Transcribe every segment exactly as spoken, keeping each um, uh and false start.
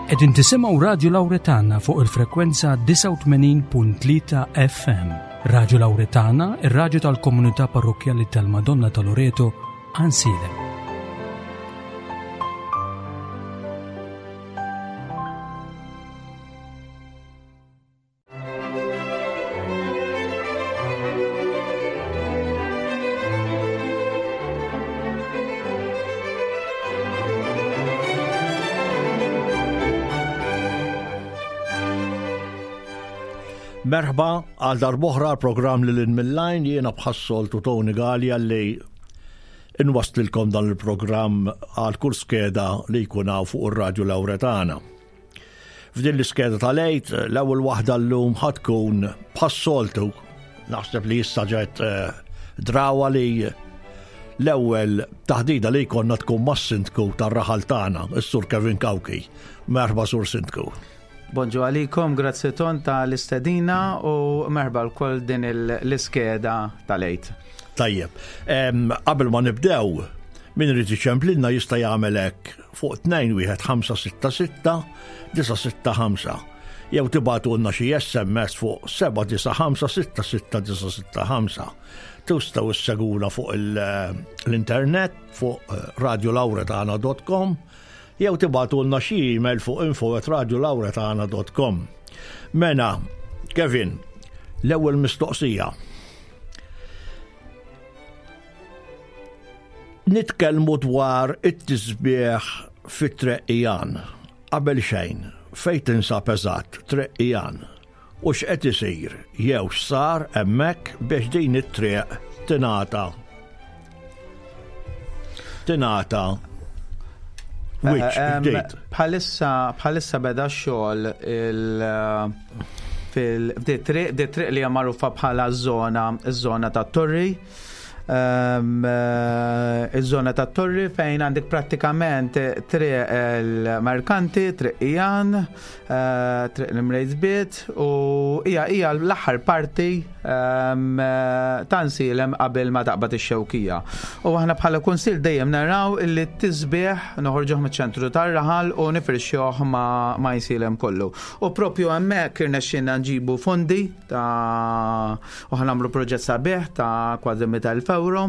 Qegħdin tisimgħu Radju Lawretana fuq il-frekwenza disgħa u tmenin punt tlieta F M. Radju Lawretana, ir-radju tal-komunità parrokkjali tal-Madonna ta' Loreto, Għajnsielem. Merħba għal darb'oħra l-programm li lil mill-lajn, jiena bħas-soltu Tony Galea li inwaslilkom dan il-programm għal kull skeda li jkun hawn fuq ir-Radju Lawretana. F'din l-iskeda tal-Għid, l-ewwel waħda llum ħa tkun bħas-soltu, naħseb li issa ġet, eh, drawa li l-ewwel taħdida li jkollna tkun mas-sindku tar-raħal tagħna, is-Sur Kevin Cauchi. Merħba Sur Sindku. Bonġu għalikom, grazzi ton ta' l-istedina u merħba l-koll din il-, l-iskeda tal-Għid. Tajjeb, em, qabel ma nibdew, min irid iċemplilna jista' jagħmel hekk fuq tnejn wieħed ħamsa sitta sitta disa' sitta ħamsa. Jew tibgħatulna xi S M S fuq seba' disa' ħamsa sitta sitta disa' sitta ħamsa. Tistgħu isseguna fuq il-, l-internet fuq, eh, radio lawretana dot com jew tibgħatulna xi email fuq info at radio lawretana dot com. Mena, Kevin, l-ewwel mistoqsija. Nitkellmu dwar it-tisbieħ fit-Treqqijan. Qabel xejn, fejn tinsab eżatt Treqqijan u x'qed isir jew x'sar hemmhekk biex din it-triq tingħata tingħata wiċċ Eh, em, ġdid. Bħalissa, bħalissa beda x-xogħol il-, fil-, f'di triq, di triq li hija magħrufa bħala ż-żona, iż-żona tat-Torri. Ehm, eh, iż-żona tat-Torri fejn għandek prattikament triq il-Merkanti, triq Ijan, eh, triq l-Imrejsbiet u hija, hija l-aħħar parti, ehm, eh, ta' Għajnsielem qabel ma taqbad ix-Xewkija. U aħna bħala kunsill dejjem naraw illi t-tisbieħ noħorġuh miċ-ċentru tar-raħal u nifirxuh ma', ma' Għajnsielem kollu. U propju hemmhekk irnexxielna nġibu fondi ta' u ħanamlu proġett sabiħ ta' kważi mitt elf euro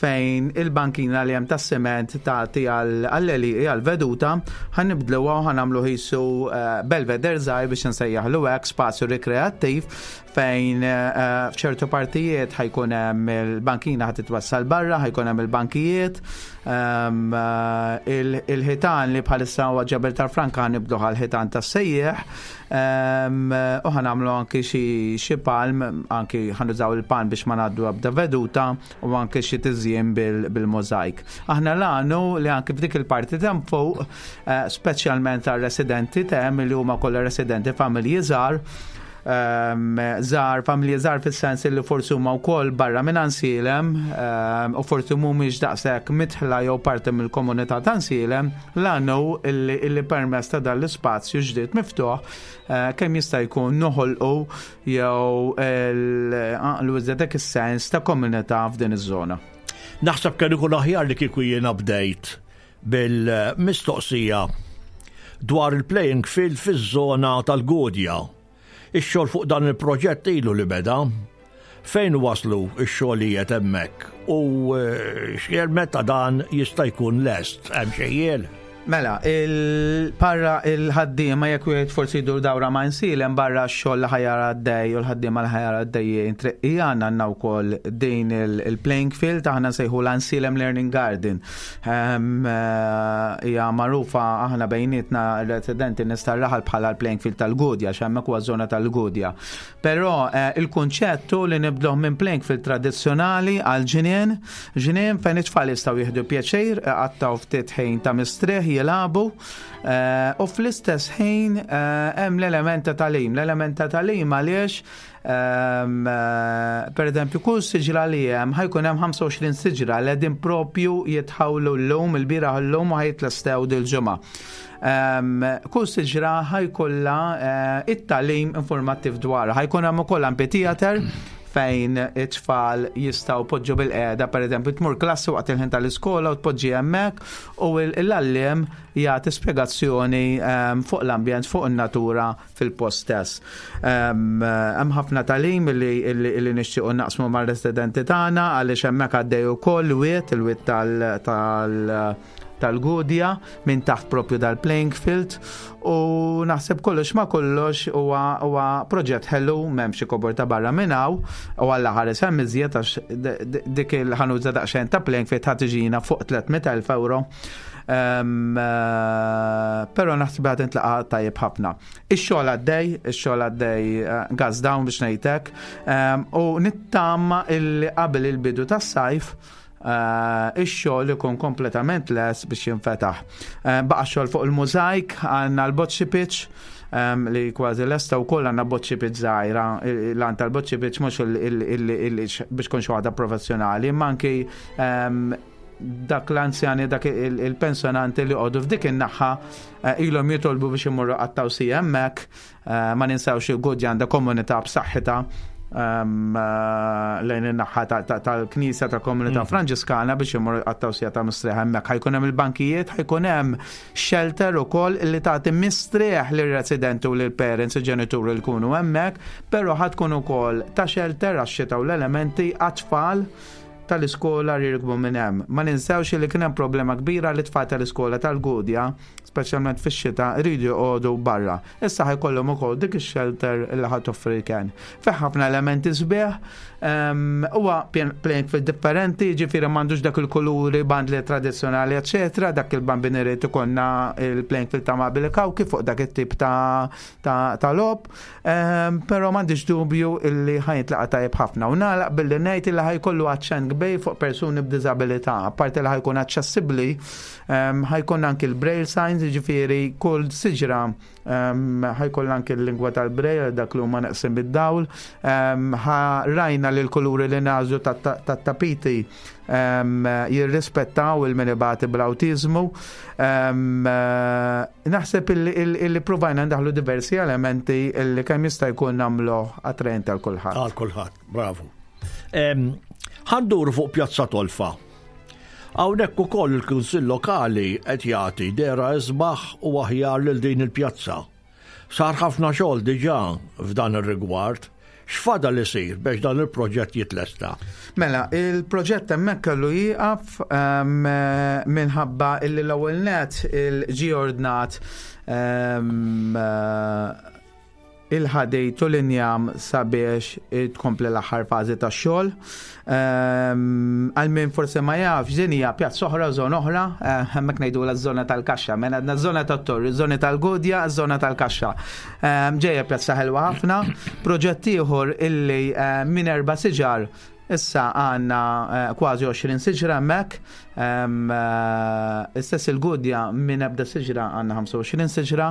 fejn il-bankina li hemm tas-siment tagħti għal-, għall-għelieqi għall-veduta ħanibdluha u ħanamlu ħisu, eh, belveder żgħir biex nsejjaħlu hekk, spazju rikreattiv fejn, eh, f'ċertu partijiet ħajkun hemm il-bankina ħad titwassal barra, ħajkun hemm il-bankijiet, ehm, eh, il-, il-ħitan li bħalissa huwa ġebel tal-Franka ħanibdluh għall-ħitan tas-sejjeħ, ehm, u ħanamlu anki xi, xi palm, anki ħanużaw il-palm biex ma ngħaddu ebda veduta u anki xi tiżjien bil-, bil-mozaik. Aħna l-għanu li anki f'dik il-parti t'hemm fuq, eh, speċjalment għar-residenti t'hemm li huma kollha residenti familji żgħar, ehm, żgħar, familji żgħar fis-sens li forsi huma wkoll barra minn Għajnsielem, ehm, u forsi mhumiex daqshekk mitħla jew parti mill-komunità ta' Għajnsielem, l-għanu illi, illi permezz ta' dan l-ispazju ġdid miftuħ, eh, kemm jista' jkun noħolqu jew l-, eh, dak is-sens ta' komunità f'din iż-żona. Naħseb kellu jkun aħjar li kieku jiena bdejt bil-mistoqsija dwar il-playing field fiż-żona tal-Gudja. Ix-xogħol fuq dan il-proġett ilu li beda. Fejn waslu x-xogħlijiet hemmhekk u, eh, x'jel meta dan jista' jkun lest, hemm xi ħjiel? Mela, il-parra il-ħaddiema jekk wieħed forsi jdur dawra ma' Għajnsielem barra x-xogħol li ħajara għaddej u l-ħaddiema li ħajara għaddejjin triqija, għandna wkoll din il-, il-playing field aħna nsejħu l-Għajnsielem Learning Garden. Ehm, eh, hija magħrufa aħna bejnietna r-residenti nies tar-raħal bħala l-playing field tal-Gudja, għax hemmhekk huwa żona tal-Gudja. Però, eh, il-kunċett hu li nibdluh minn playing field tradizzjonali għal ġinien, ġinien fejn it-tfal jistgħu jieħdu pjaċir, għattaw ftit ħin ta' mistrieħ, jilagħbu, eh, u fl-istess ħin, eh, hemm l-element ta' tagħlim. L-element ta' tagħlim għaliex, ehm, eh, per eżempju, kull siġra li hemm ħajkun hemm ħamsa u għoxrin siġra li qegħdin propju jitħawlu llum, il-bieraħ llum u ħajtlestew dil-ġimgħa. Ehm, kull siġra ħajkollha, eh, it-tagħlim informattiv dwarha. Ħajkun hemm ukoll amphitheater Fejn it-tfal jistgħu poġġu bilqiegħda, per eżempju, tmur klassi waqt il-ħin tal-iskola u tpoġġi hemmhekk u l-għalliem jagħti spjegazzjoni ehm, fuq l-ambjent, fuq in-natura fil-post stess. Ehm, hemm ħafna tagħlim li, li nixtiequ naqsmu mar-residenti tagħna, għaliex hemmhekk għaddej ukoll wied, il-wied tal, tal tal-Gudja minn taħt propju dal-playing field, u naħseb kollox ma kollox huwa huwa proġett ħelu, m'hemm xi kobor ta' barra minn hawn u għalla ħares hemm iżjed, għax dik il-ħanuża daqsxejn ta' playing field ħa tiġina fuq tliet mitt elf euro. Um, uh, pero naħseb ħa tintlaqa' tajjeb ħafna. Ix-xogħol għaddej, ix-xogħol għaddej uh, gas down biex ngħidlek, um, u nittama illi qabel il-bidu tas-sajf uh, ix-xogħol ikun kompletament les biex jinfetaħ. Uh, baqa' xogħol fuq il-mużajk, għandna l-bocce pitch um, li kważi lesta u koll għandna bocce pitch żgħira. L-għan tal-bocce pitch mhux biex kun xi waħda professjonali, imma anki um, dak l-anzjani, dak il-pensjonanti li għodu f'dik in-naħa eh, ilhom jitolbu biex imorru qattgħu siegħa hemmhekk, eh, ma ninsawx il-Gudja għandha komunità b'saħħitha um, eh, lejn in-naħa tal-Knisja tal-Komunità mm. Franġiskana biex imorru qattgħu siegħa ta' mistrieħ hemmhekk. Ħa jkun hemm il-bankijiet, ħa jkun hemm shelter ukoll li tagħti mistrieħ lir-residenti u lill-parents, il-ġenituri li jkunu hemmhekk, però ħa tkun ukoll ta' shelter għax-xita u l-elementi għat-tfal tal-iskola li jirkbu minn hemm. Ma ninsewx li kien hemm problema kbira li tfal tal-iskola tal-Gudja, speċjalment fix-xita, jridu joqogħdu barra. Issa ħa jkollhom ukoll dik ix-shelter li ħa toffri kien. Fih ħafna elementi sbieħ, huwa playing field differenti, ġifieri m'għandux dak il-kuluri bandli tradizzjonali, eċetera, dak il-bambini irid ikollna il-playing field ta' Mabili Kawki fuq dak it-tip ta' ta' logħob, però m'għandix dubju illi ħa jintlaqa' tajjeb ħafna. U nagħlaq billi ngħid illi ħa jkollu aċċent kbir fuq persuni b'diżabilità, apparti li ħa jkun aċċessibbli, ħa jkun anki l-braille signs, ġifieri kull siġra ħa jkun anki l-lingwa tal-braille dak li huma neqsin bid-dawl. Rajna li l-kuluri li nagħżlu tat-tapiti jirrispettaw lil min ibati bl-awtiżmu. Naħseb illi provajna ndaħlu diversi elementi illi kemm jista' jkun nagħmlu attraenti għal kulħadd. Għal kulħadd, bravo. Ħa nduru fuq Pjazza Tolfa. Hawnhekk ukoll il-Kunsill Lokali qed jagħti dehra isbaħ u aħjar lil din il-pjazza. Sar ħafna xogħol diġà f'dan ir-rigward. X'fadal isir biex dan il-proġett jitlesta? Mela, il-proġett hemmhekk kellu jieqaf um, minħabba illi l-ewwel net il-ġi ordnat um, il-ħadid u l-injam sabiex tkompli l-aħħar fażi tax-xogħol. Għal min forse ma jafx, din hija pjazza oħra, żona oħra, eh, hemmhekk ngħidu la żona tal-kaxxa, mela għandna żona tat-Torri, żoni tal-Gudja, żona tal-kaxxa. Ġejja pjazza ħelwa ħafna, proġett ieħor illi eh, minn erba' siġar issa għandna eh, kważi għoxrin siġra hemmhekk. Istess il-Gudja, minn ebda siġra għandna ħamsa u għoxrin siġra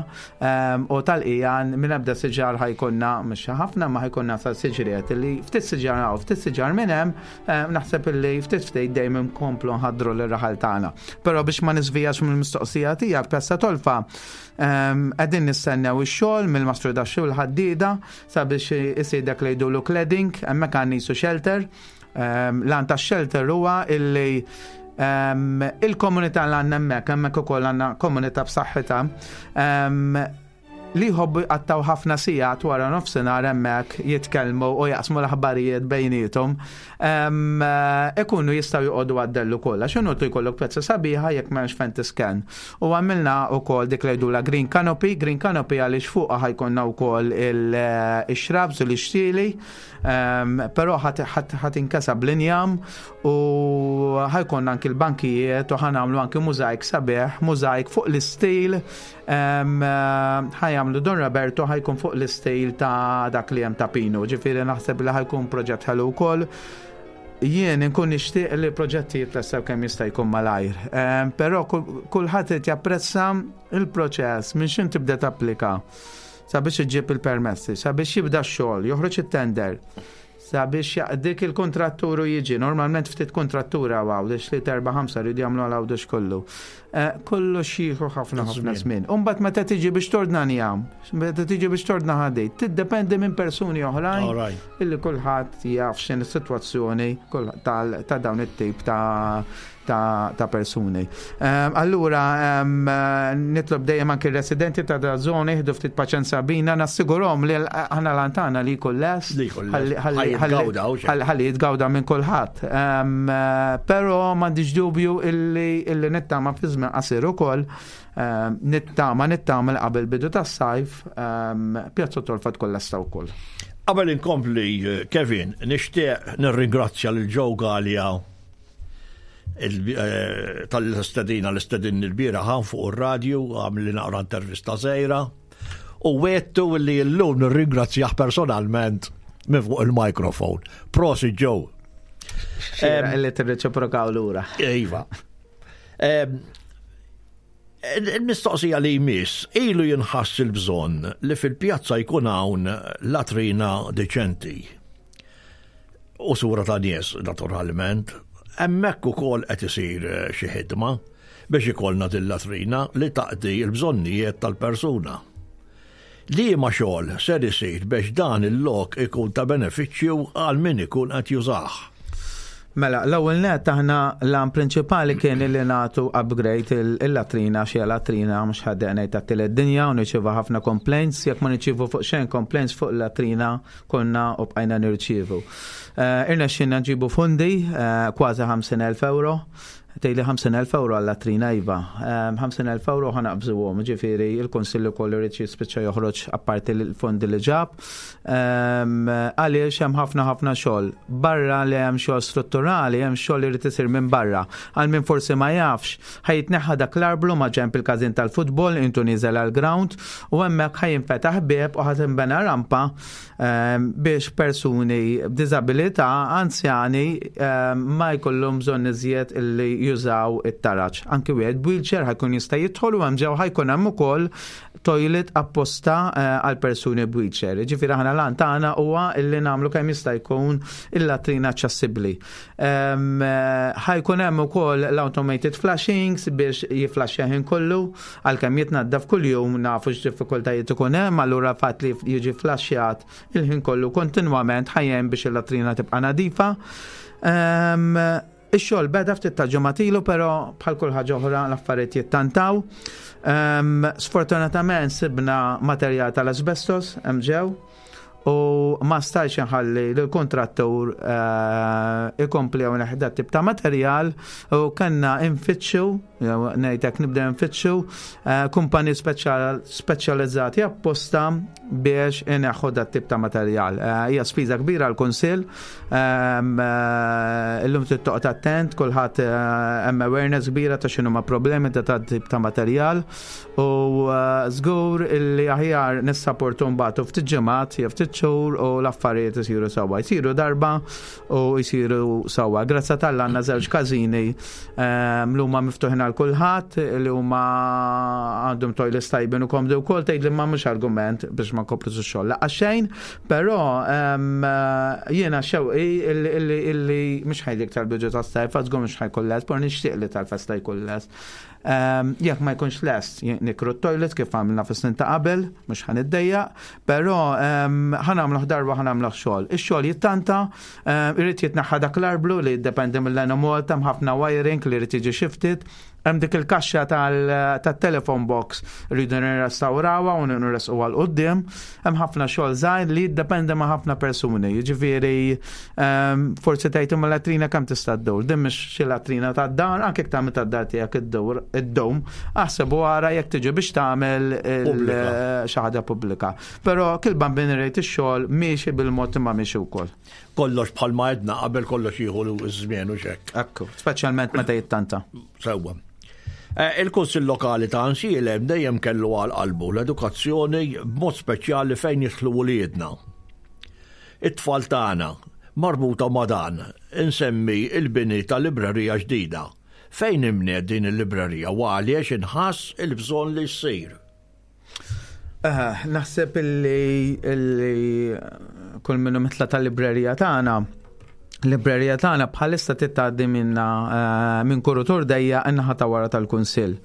u tal-Qijan minn ebda siġar ħa jkollna, mhux ħafna, ma ħa jkollna sa siġriet li ftit siġar hawn, ftit siġar minn hemm, naħseb illi ftit ftit dejjem nkomplu nħaddru l-raħal tagħna. Però biex ma niżvijax mill-mistoqsija tiegħek, Pjazza Tolfa qegħdin nistennew ix-xogħol mill-mastru daxxu l-ħaddida sabiex isir dak li jgħidulu cladding, hemmhekk għandna qisu shelter. L-għan ta' shelter huwa illi il-komunità l għandna hemmhekk, hemmhekk ukoll għandna komunità b'saħħitha li jħobbu jqattgħu ħafna sigħat wara nofsinhar hemmhekk jitkellmu u jaqsmu l-aħbarijiet bejniethom. Ikunu jistgħu joqogħdu għad-dell ukoll. X'inhu tu jkollok pjazza sabiħa jekk m'hemmx fejn tisken? U għamilna wkoll dik li jgħidula green canopy, green canopy għaliex fuqha ħa jkollna wkoll il-shrubs u l-ixtieli, però ħa tinkesa bl-injam u ħa jkollna anki l-bankijiet u ħa nagħmlu anki mużajk sabiħ, mużajk fuq l-istil ħa jagħmlu Don Roberto, ħa jkun fuq l-istil ta' dak li hemm ta' Pinu, ġifieri naħseb li ħa jkun proġett ħelu wkoll. Jien inkun nixtieq li proġetti jitlestew kemm jista' jkun malajr. Però kulħadd irid japprezza il-proċess minn x'ħin tibda tapplika sabiex iġġib il-permessi, sabiex jibda x-xogħol, joħroġ it-tender. Sabiex dik il-kontratturu jiġi, normalment ftit kontrattura Għawdex li terba ħamsa rridu jagħmlu għal Għawdex kollu. Eh, kollox jieħu ħafna ħafna żmien. Umbagħad meta tiġi biex tordna njam, meta tiġi biex tordna ħadid, tiddependi minn persuni oħrajn illi kulħadd jaf x'in is-sitwazzjoni ta' dawn it-tip ta' ta', ta persuni. Um, allura, um, nitlob dejjem anki residenti ta' da zona jieħdu ftit paċenza bina, nassigurom li aħna lantana li jkun lest, ħalli jitgawda minn kulħadd. Um, però m'għandix dubju illi, illi nittama fi żmien qasir ukoll um, nittama nittama qabel bidu tas-sajf um, Pjazza Tolfa tkun lesta wkoll. Qabel inkompli, Kevin, nixtieq nirringrazzja lil Joe Galea Eh, tal-istedina l-istedin il-bieraħ fuq ir-radju, għamilli naqra intervista żgħira u wegħedtu li llum nirringrazzjah personalment minn fuq il-mikrofon. Prosit, Joe. Li tirreċiprokaw lura. Iva. Il-mistoqsija li jmiss, ilu jinħass il-bżonn li fil-pjazza jkun hawn latrina deċenti. U sura ta' nies, naturalment. Hemmhekk ukoll qed isir eh, xi ħidma biex ikollna din latrina li taqdi l-bżonnijiet tal-persuna. Liema xogħol ser isir biex dan il-lok ikun ta' benefiċċju għal min ikun qed jużah? Mela, l-ewwel net aħna l-għan prinċipali kien li nagħtu upgrade il-latrina, xi latrina mhux ħadd ngħid tat-tielet dinja u nirċievu ħafna complaints, jekk ma nirċievu fuq xejn complaints fuq il-latrina konna u bqajna nirċievu. Eh, irnexxinna nġibu fondi eh, kważi ħamsin elf euro. Tgħidli ħamsin elf euro għall-latrina, iva. ħamsin elf euro ħa naqbżuhom, ġifieri il-Kunsill ukoll irid jispiċċa joħroġ apparti l-fondi li ġab. Għaliex hemm ħafna ħafna xogħol. Barra li hemm xogħol strutturali, hemm xogħol li jrid isir minn barra. Għal min forsi ma jafx, ħa jitneħħa dak l-arblu ma' ġenb il-każin tal-futbol, intu nieżel għall-ground, u hemmhekk ħa jinfetaħ bieb u ħa tinbena rampa biex persuni b'diżabilità, anzjani, ma jkollhom bżonn iżjed illi jużaw it-taraġ. Anki wieħed wheelchair ħa jkun jista' jidħol u hemm ġew ħa jkun hemm ukoll toilet apposta eh, għal persuni b'wheelchair. Ġifieri aħna l tagħna huwa illi nagħmlu kemm jista' jkun il-latrina aċċessibbli. Eh, ħa jkun hemm ukoll l-automated flushings biex jiflaxxa ħin kollu, għalkemm jitnaddaf kuljum nafu x'diffikultajiet ikun hemm, allura fatt li jiġi flaxxjat il-ħin kollu kontinwament ħa jgħin biex il-latrina tibqa' nadifa. Um, Ix-xogħol beda ftit ta' ġimgħat ilu, però bħal kull ħaġa oħra l-affarijiet jittantaw. Um, sfortunatament sibna materjal tal-asbestos hemm ġew u ma stajx nħalli l-kontrattur uh, ikompli hawn tip ta' materjal u kellna nfittxu, ngħidlek nibda nfittxu uh, kumpani speċjalizzati apposta biex ineħħu dat tip ta' materjal. Uh, hija spiża kbira l-Kunsill, um, illum trid toqgħod attent, kulħadd hemm awareness kbira ta' x'inhu ma' problemi ta' tip ta' materjal u żgur illi aħjar nissapportu mbagħad ftit ġimgħat jew ftit xhur u l-affarijiet isiru sewwa. Jsiru darba u jsiru sewwa. Grazzi t'Alla għandna żewġ każini ehm, li huma miftuħin għal kulħadd, li huma għandhom toilets tajbin u komdi wkoll. Tgħid li ma mhux argument biex ma nkomplu x-xogħol. Laqas xejn, però ehm, jiena xewqi illi mhux ħa ngħidlek tal-bidu tas-sajf, żgur mhux ħa jkun lest, però nixtieq li tal-festa jkun lest. Ehm, jekk ma jkunx lest, nikru t-toilet kif għamilna fis-snin ta' qabel, mhux ħa niddejjaq, però ehm, ħa nagħmluh darba, ħa nagħmluh xogħol. Ix-xogħol jittanta, ehm, irid jitneħħa dak l-arblu li jiddependi mill-Enemalta, ħafna wiring li jrid jiġi shifted, hemm dik il-kaxxa tat-telephone box rridu nirrestawrawha u nirresquha 'l quddiem, hemm ħafna xogħol żgħir li jiddependi ma' ħafna persuni. Jiġifieri forsi tgħid imma latrina kemm tista' ddur. Din mhix xi latrina tad-dar, anke jekk tagħmel tad-dar tiegħek iddur id-dum, aħseb wara jekk tiġi biex tagħmel xi ħaġa pubblika. Però kull bambin irid ix-xogħol miexi bil-mod imma miexi wkoll. Kollox bħalma għedna qabel, kollox jieħu ż-żmien u xek. Ekku, speċjalment meta jittanta. Sewwa. Eh, Il-Kunsill Lokali ta' Għajnsielem dejjem kellu għal qalbu l-edukazzjoni, b'mod speċjali fejn jidħlu uliedna. It-tfal tagħna. Marbuta ma' dan, insemmi il-bini ta' librerija ġdida. Fejn inbniet din il-librerija u għaliex inħass il-bżonn li ssir? Eh, naħseb illi illi kull minnu mitla tal-librerija tagħna l-librerija tagħna bħalissa tgħaddi minna eh, minn kuritur dejja in-naħa ta' wara tal-Kunsill.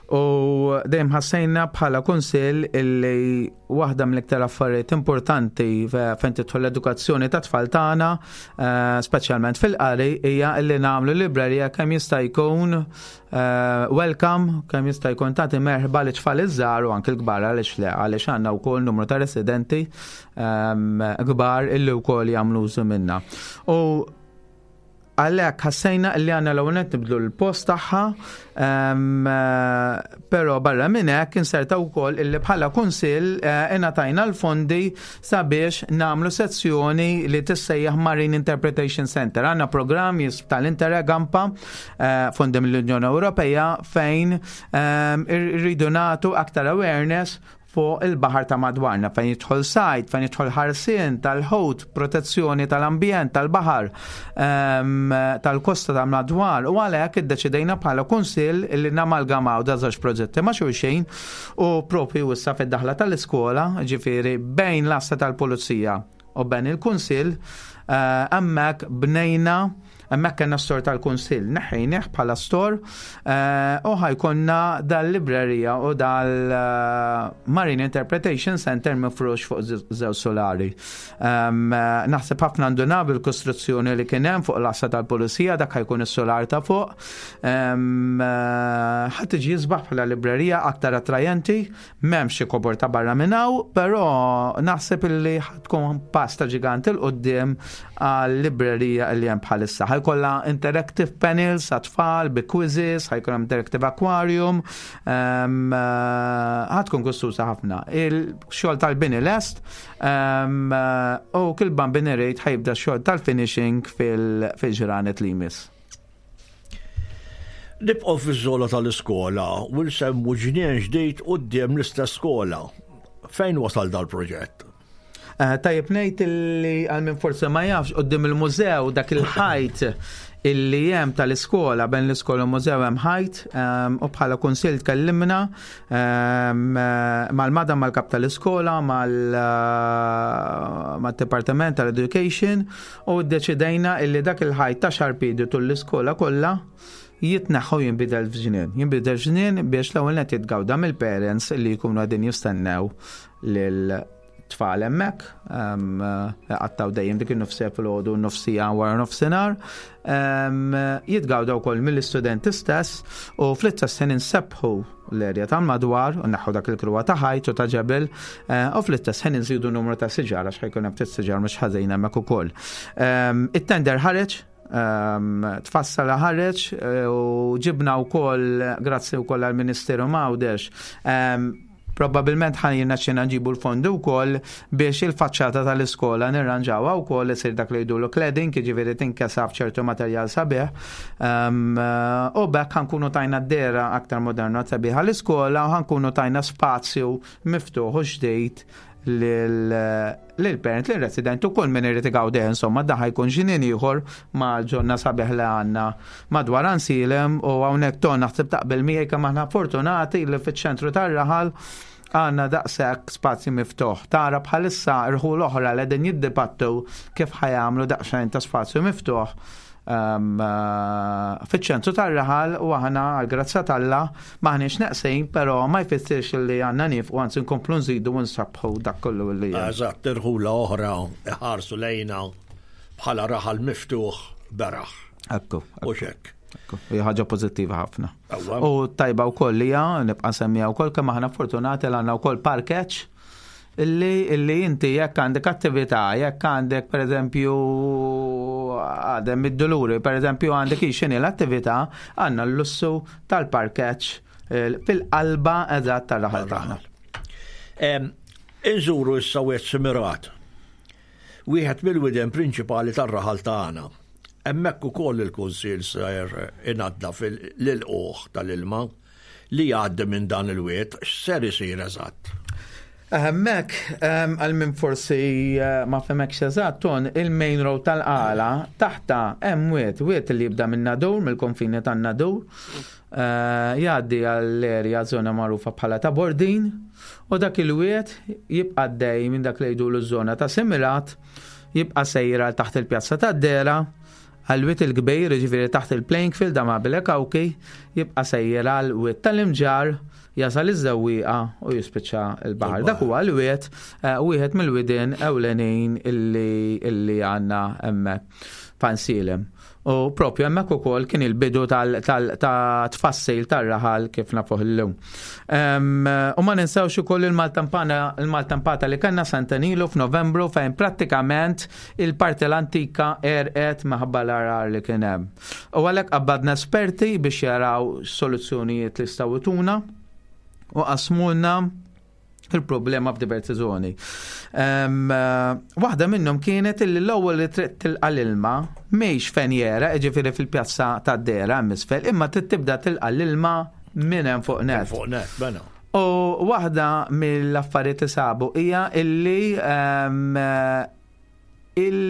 U dejjem ħassejna bħala kunsill illi waħda mill-iktar affarijiet importanti fejn tidħol l-edukazzjoni ta' tfal tagħna, eh, speċjalment fil-qari, hija illi nagħmlu librerija kemm jista' jkun eh, welcome, kemm jista' jkun tagħti merħba li tfal iż-żgħar u anke l-kbar, għaliex le, għaliex għandna wkoll numru ta' residenti ehm, kbar illi wkoll jagħmlu użu minna. U għalhekk ħassejna li għandna l nibdlu l-post tagħha, eh, però barra minn hekk inserta wkoll illi bħala kunsill eh, ingħatajna l-fondi sabiex nagħmlu sezzjoni li tissejjaħ Marine Interpretation Center. Għandna programm tal-Interreg AMPA, eh, fondi mill-Unjoni Ewropea, fejn irridu nagħtu aktar awareness fuq il-baħar ta' madwarna, fejn jidħol sajd, fejn jidħol ħarsien tal-ħut, protezzjoni tal-ambjent, tal-baħar, ehm, tal-kosta ta' madwar. U għalhekk iddeċidejna bħala kunsill li namalgamaw da żewġ proġetti ma' xulxin u propju issa fid-daħla tal-iskola, ġifieri bejn l-għassa tal-pulizija u bejn il-kunsill, eh, hemmhekk bnejna. Hemmhekk kellna store tal-kunsill, neħħejnieh bħala store eh, u ħa jkollna dal-librerija u dal-Marine Interpretation Center mifrux fuq żewġ solari. Eh, naħseb ħafna ndunaw bil-kostruzzjoni li kien hemm fuq l-għassa tal-pulizija, dak ħa jkun is-solar ta' fuq. Eh, ħa tiġi isbaħ bħala librerija, aktar attrajenti, m'hemmx xi kobor ta' barra minn hawn, però naħseb illi tkun pass ta' ġigant 'il quddiem għal-librerija li hemm bħalissa. Ħa jkollha interactive panels għat-tfal bi quizzes, ħa jkun hemm interactive aquarium, ħa tkun gustuża ħafna. Il-xogħol tal-bini lest u kull Bambin irid ħa jibda xogħol tal-finishing fil-ġranet li jmiss. Nibqgħu fiż-żona tal-iskola u nsemmu ġnien ġdid quddiem l-istess skola. Fejn wasal dal-proġett? Eh, tajjeb ngħid li għal min forse ma jafx, quddiem il-mużew, dak il-ħajt illi hemm tal-iskola, bejn l-iskola u mużew hemm ħajt, ehm, u bħala kunsill tkellimna ehm, mal-madam, mal-kap tal-iskola, mal-Departament tal-Education u ddeċidejna illi dak il-ħajt ta' xarpidi tul l-iskola kollha jitneħħu, jinbidel f'ġnien. Jinbidel f'ġnien biex l-ewwel net jitgawda mill-parents li jkunu qegħdin jistennew lil tfal hemmhekk, għattaw dejjem dik in-nofsija filgħodu u nofsija wara nofsinhar, jitgawda wkoll mill-istudenti stess u fl-istess ħin insebbħu l-erja tal-madwar u neħħu dak il-kruwa ta' ħajt u ta' ġebel eh, u fl-istess ħin nżidu numru ta' siġar għax ħa jkun hemm ftit siġar mhux ħażin hemmhekk ukoll. It-tender ħareġ, tfassala, ħareġ eh, u ġibna wkoll, grazzi wkoll għall-Ministeru M'Għawdex, probabilment ħa jirnexxina nġibu l-fondi wkoll biex il-faċċata tal-iskola nirranġawha wkoll, isir dak li jgħidulu cladding, jiġifieri tinkesa f'ċertu materjal sabiħ. U b'hekk ħa nkunu tajna dehra aktar moderna, sabiħa l-iskola u ħa nkunu tajna spazju miftuħ u ġdid lil-parent, lil-resident u kull min irid igawdi. Insomma, dan ħa jkun ġnien ieħor ma' ġonna sabiħ li għandna madwar Għajnsielem u hawnhekk ton naħseb taqbel miegħi kemm aħna fortunati li fiċ-ċentru tar-raħal għandna daqshekk spazju miftuħ. Tara bħalissa rħul oħra li qegħdin jiddibattu kif ħa jagħmlu daqsxejn ta' spazju miftuħ um, uh, fiċ-ċentru tar-raħal u aħna għal-grazzja t'Alla m'aħniex neqsin, però ma jfissirx li għandna nieqfu, anzi nkomplu nżidu u nsabbħu dak kollu li hemm. Eżatt, irħula oħra iħarsu lejna bħala raħal miftuħ beraħ. Ekku. U xek. Ekku, hija ħaġa pożittiva ħafna. Ewwa. U tajba wkoll hija nibqa' semmija wkoll kemm aħna fortunati li għandna wkoll parkeġġ illi illi inti jekk għandek attività, jekk għandek pereżempju għadem id-Duluri, pereżempju għandek x'inhi l-attività, għandna l-lussu tal-parkeġġ eh, fil-qalba eżatt tar-raħal tagħna. Em, Inżuru issa Wied Simirat. Wieħed mill-widien prinċipali tar-raħal tagħna. Hemmhekk ukoll il-Kunsill ser inaddaf l-ilqugħ tal-ilma li jgħaddi minn dan il-wied, x'ser isir eżatt? Hemmhekk, għal min forsi eh, ma fehmekx eżatt, ton il-main road tal-Qala taħta hemm wied, wied li jibda minn Nadur, mill-konfini tan-Nadur, eh, jgħaddi għall-erja żona magħrufa bħala ta' Bordin, u dak il-wied jibqa' dej minn dak li jgħidulu ż-żona ta' Simirat, jibqa' sejra taħt il-pjazza tad-Dera, għal-Wied il-Kbir, ġifieri taħt il-playing field da ma' Kawki, jibqa' sejjer għal-Wied tal-Imġarr, jasal iż-Żewwieqa u jispiċċa il-baħar. Dak huwa l-wied, eh, wieħed mill-widien ewlenin illi illi għandna hemmhekk f'Għajnsielem. U propju hemmhekk ukoll kien il-bidu ta' tfassil tar-raħal kif nafuh illum. U ma ninsewx ukoll il-maltampana il-maltampata li kellna sentejn ilu f'Novembru, fejn prattikament il-parti l-antika għerqet minħabba l-għargħar li kien hemm. U għalhekk qabbadna esperti biex jaraw soluzzjonijiet li jistgħu jtuna u qasmulna il-problema f'diversi zoni. Um, waħda minnhom kienet illi l-ewwel li trid tilqa' l-ilma mhix fejn jera, jiġifieri fil-pjazza tad-Dera hemm isfel, imma trid tibda tilqa' l-ilma minn hemm fuq net. Fuq net, mela. U waħda mill-affarijiet li sabu hija illi um, il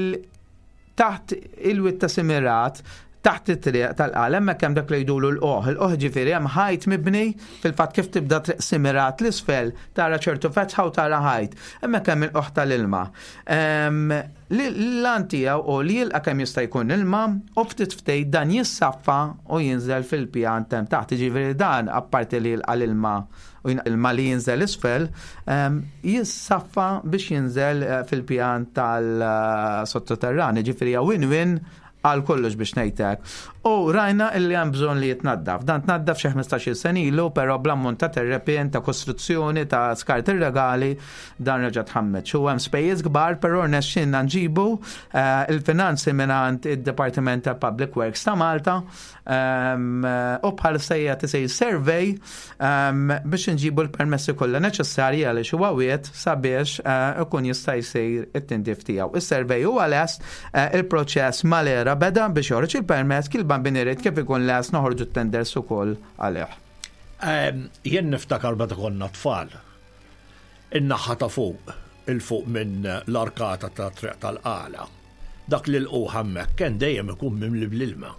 taħt il-wied ta' Simirat, taħt it-triq tal-Qala, hemmhekk hemm dak li jgħidulu l-qoħ. Il-qoħ ġifieri hemm ħajt mibni, fil-fatt kif tibda triq Simirat l-isfel tara ċertu fetħa u tara ħajt. Hemmhekk hemm il-qoħ tal-ilma. L-għan tiegħu u li jilqa' kemm jista' jkun ilma u ftit ftit dan jissaffa u jinżel fil-pjan hemm taħt. Ġifieri dan apparti li jilqa' l-ilma u ilma li jinżel isfel, jissaffa biex jinżel eh, fil-pjan tal-sottoterran. Ġifieri win-win għal kollox biex ngħidlek. U rajna illi hemm bżonn li jitnaddaf. Dan tnaddaf xi ħmistax-il sena ilu, però bl-ammont ta' terrepien, ta' kostruzzjoni, ta' skart irregali, dan reġa' tħammeġ. U hemm spejjeż kbar, però rnexxinna nġibu eh, il-finanzi mingħand id-Departiment ta' Public Works ta' Malta ehm, u bħal sejja tisej survey ehm, biex nġibu l-permessi kollha neċessarji għaliex huwa wied sabiex eh, ikun jista' jsir it-tindif tiegħu. Is-survey huwa lest, eh, il-proċess mal-ERA beda biex joħroġ il-permess, kil bambini kif ikun lest noħorġu t-tenders ukoll għalih. Jien niftakar meta konna tfal. In-naħa ta' fuq, il-fuq minn l-arkata ta' triq tal-Qala. Dak li l hemmhekk kien dejjem ikun mimli bl-ilma.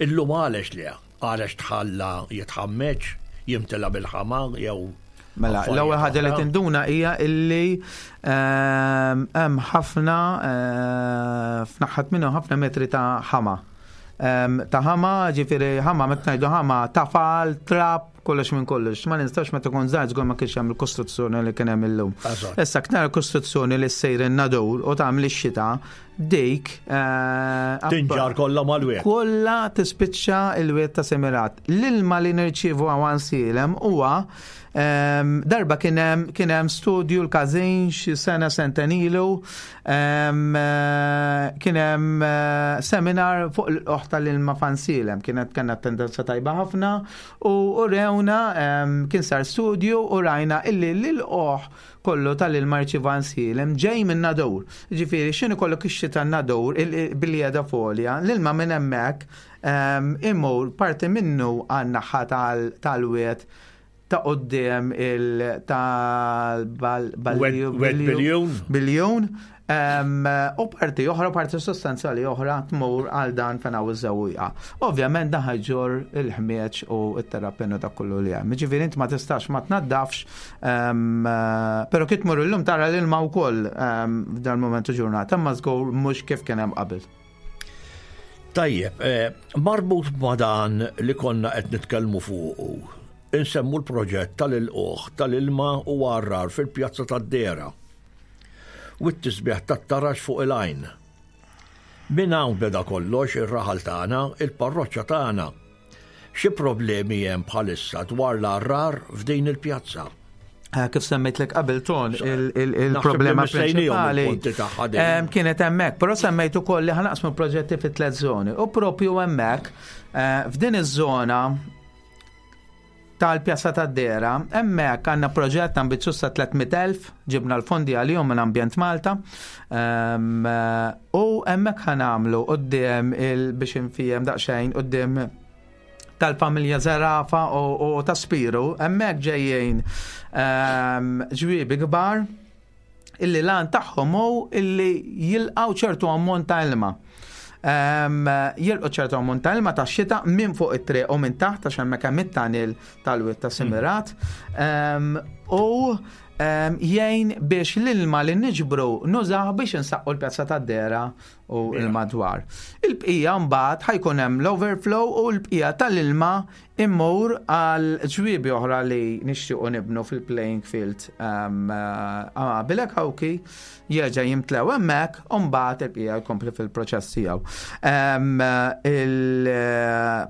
Illum għalex li għalex tħalla jitħammeġ, jimtela bil-ħama jew Mela, l-ewwel ħaġa li tinduna hija illi ehm, hemm ħafna eh, f'naħħat minnu ħafna metri ta' ħama. Ehm, ta' ħama, ġifieri ħama, meta ngħidu ħama, tafal, trab, kollox minn kollox. Ma nistax meta kont żgħir żgur ma kienx hemm il-kostruzzjoni li kien hemm illum. Issa ktar kostruzzjoni li ssejr in-Nadur u tagħmel ix-xita dik eh, Tinġar kollha mal-wied. Kollha tispiċċa il-wied ta' Semirat. L-ilma li nirċievu Għajnsielem huwa ehm, darba kien hemm kien hemm studju l-każin xi sena sentejn ilu, ehm, eh, kien hemm eh, seminar fuq l-qoħ tal-ilma f'Għajnsielem, kienet kellna tendenza tajba ħafna u u rewna ehm, kien sar studju u rajna illi l-qoħ kollu tal-ilma rċiva Għajnsielem ġej minn Nadur. Ġifieri, x'inhu kollok ix-xita Nadur billi qiegħda folja, l-ilma minn hemmhekk ehm, imur parti minnu għan-naħa tal-wied ta' quddiem il Wed biljun. Biljun. Ehm, u parti oħra, parti sostanzjali oħra tmur għal dan fejn hawn iż-Żewwieqa. Ovvjament dan ħa jġorr il-ħmieġ u t-terrapenu ta' kollu li hemm. Ġifieri int ma tistax ma tnaddafx, ehm, però kif tmur illum tara l-ilma wkoll ehm, f'dan momentu ġurnata, ma żgur mhux kif kien hemm qabel. Tajjeb, eh, marbut ma' dan li konna qed nitkellmu fuqu, insemmu l-proġett tal-ilqoħ tal-ilma u għarrar fil-pjazza tad-Dera u t-tisbieħ tat-taraġ fuq il-għajn. Min hawn beda kollox ir-raħal tagħna, il-parroċċa tagħna. Xi problemi hemm bħalissa dwar l-għarrar f'din il-pjazza? Eh, kif semmejtlek qabel ton, il-problema prinċipali kienet hemmhekk, però semmejt ukoll li ħa naqsmu proġetti fi tliet żoni. U propju hemmhekk eh, f'din iż-żona tal-Pjazza tad-Dera, hemmhekk għandna proġett ambizzjuż ta' tliet mitt elf, ġibna l-fondi għalihom minn Ambjent Malta. U hemmhekk ħa nagħmlu quddiem il biex infiehem daqsxejn quddiem tal-familja Zerafa u, u ta' Spiru, hemmhekk ġejjin ehm, ġwiebi kbar illi l-għan tagħhom hu illi jilqgħu ċertu ammont ta' ilma. Um, jilqgħu ċertu ammont ta' ilma ta' xita minn fuq it-triq u minn taħt, għax hemmhekk hemm it-tunnel tal-wied ta' Simirat. Um, u um, jgħin biex l-ilma li niġbru nużaw biex insaqqu l-pjazza tad-Dera u l-madwar. Il-bqija mbagħad ħa jkun hemm l-overflow u l-bqija tal-ilma immur għal ġwiebi oħra li nixtiequ nibnu fil-playing field um, uh, Bilek Hawki, jerġa' jimtlew hemmhekk u mbagħad il-bqija jkompli fil-proċess tiegħu. Um, il-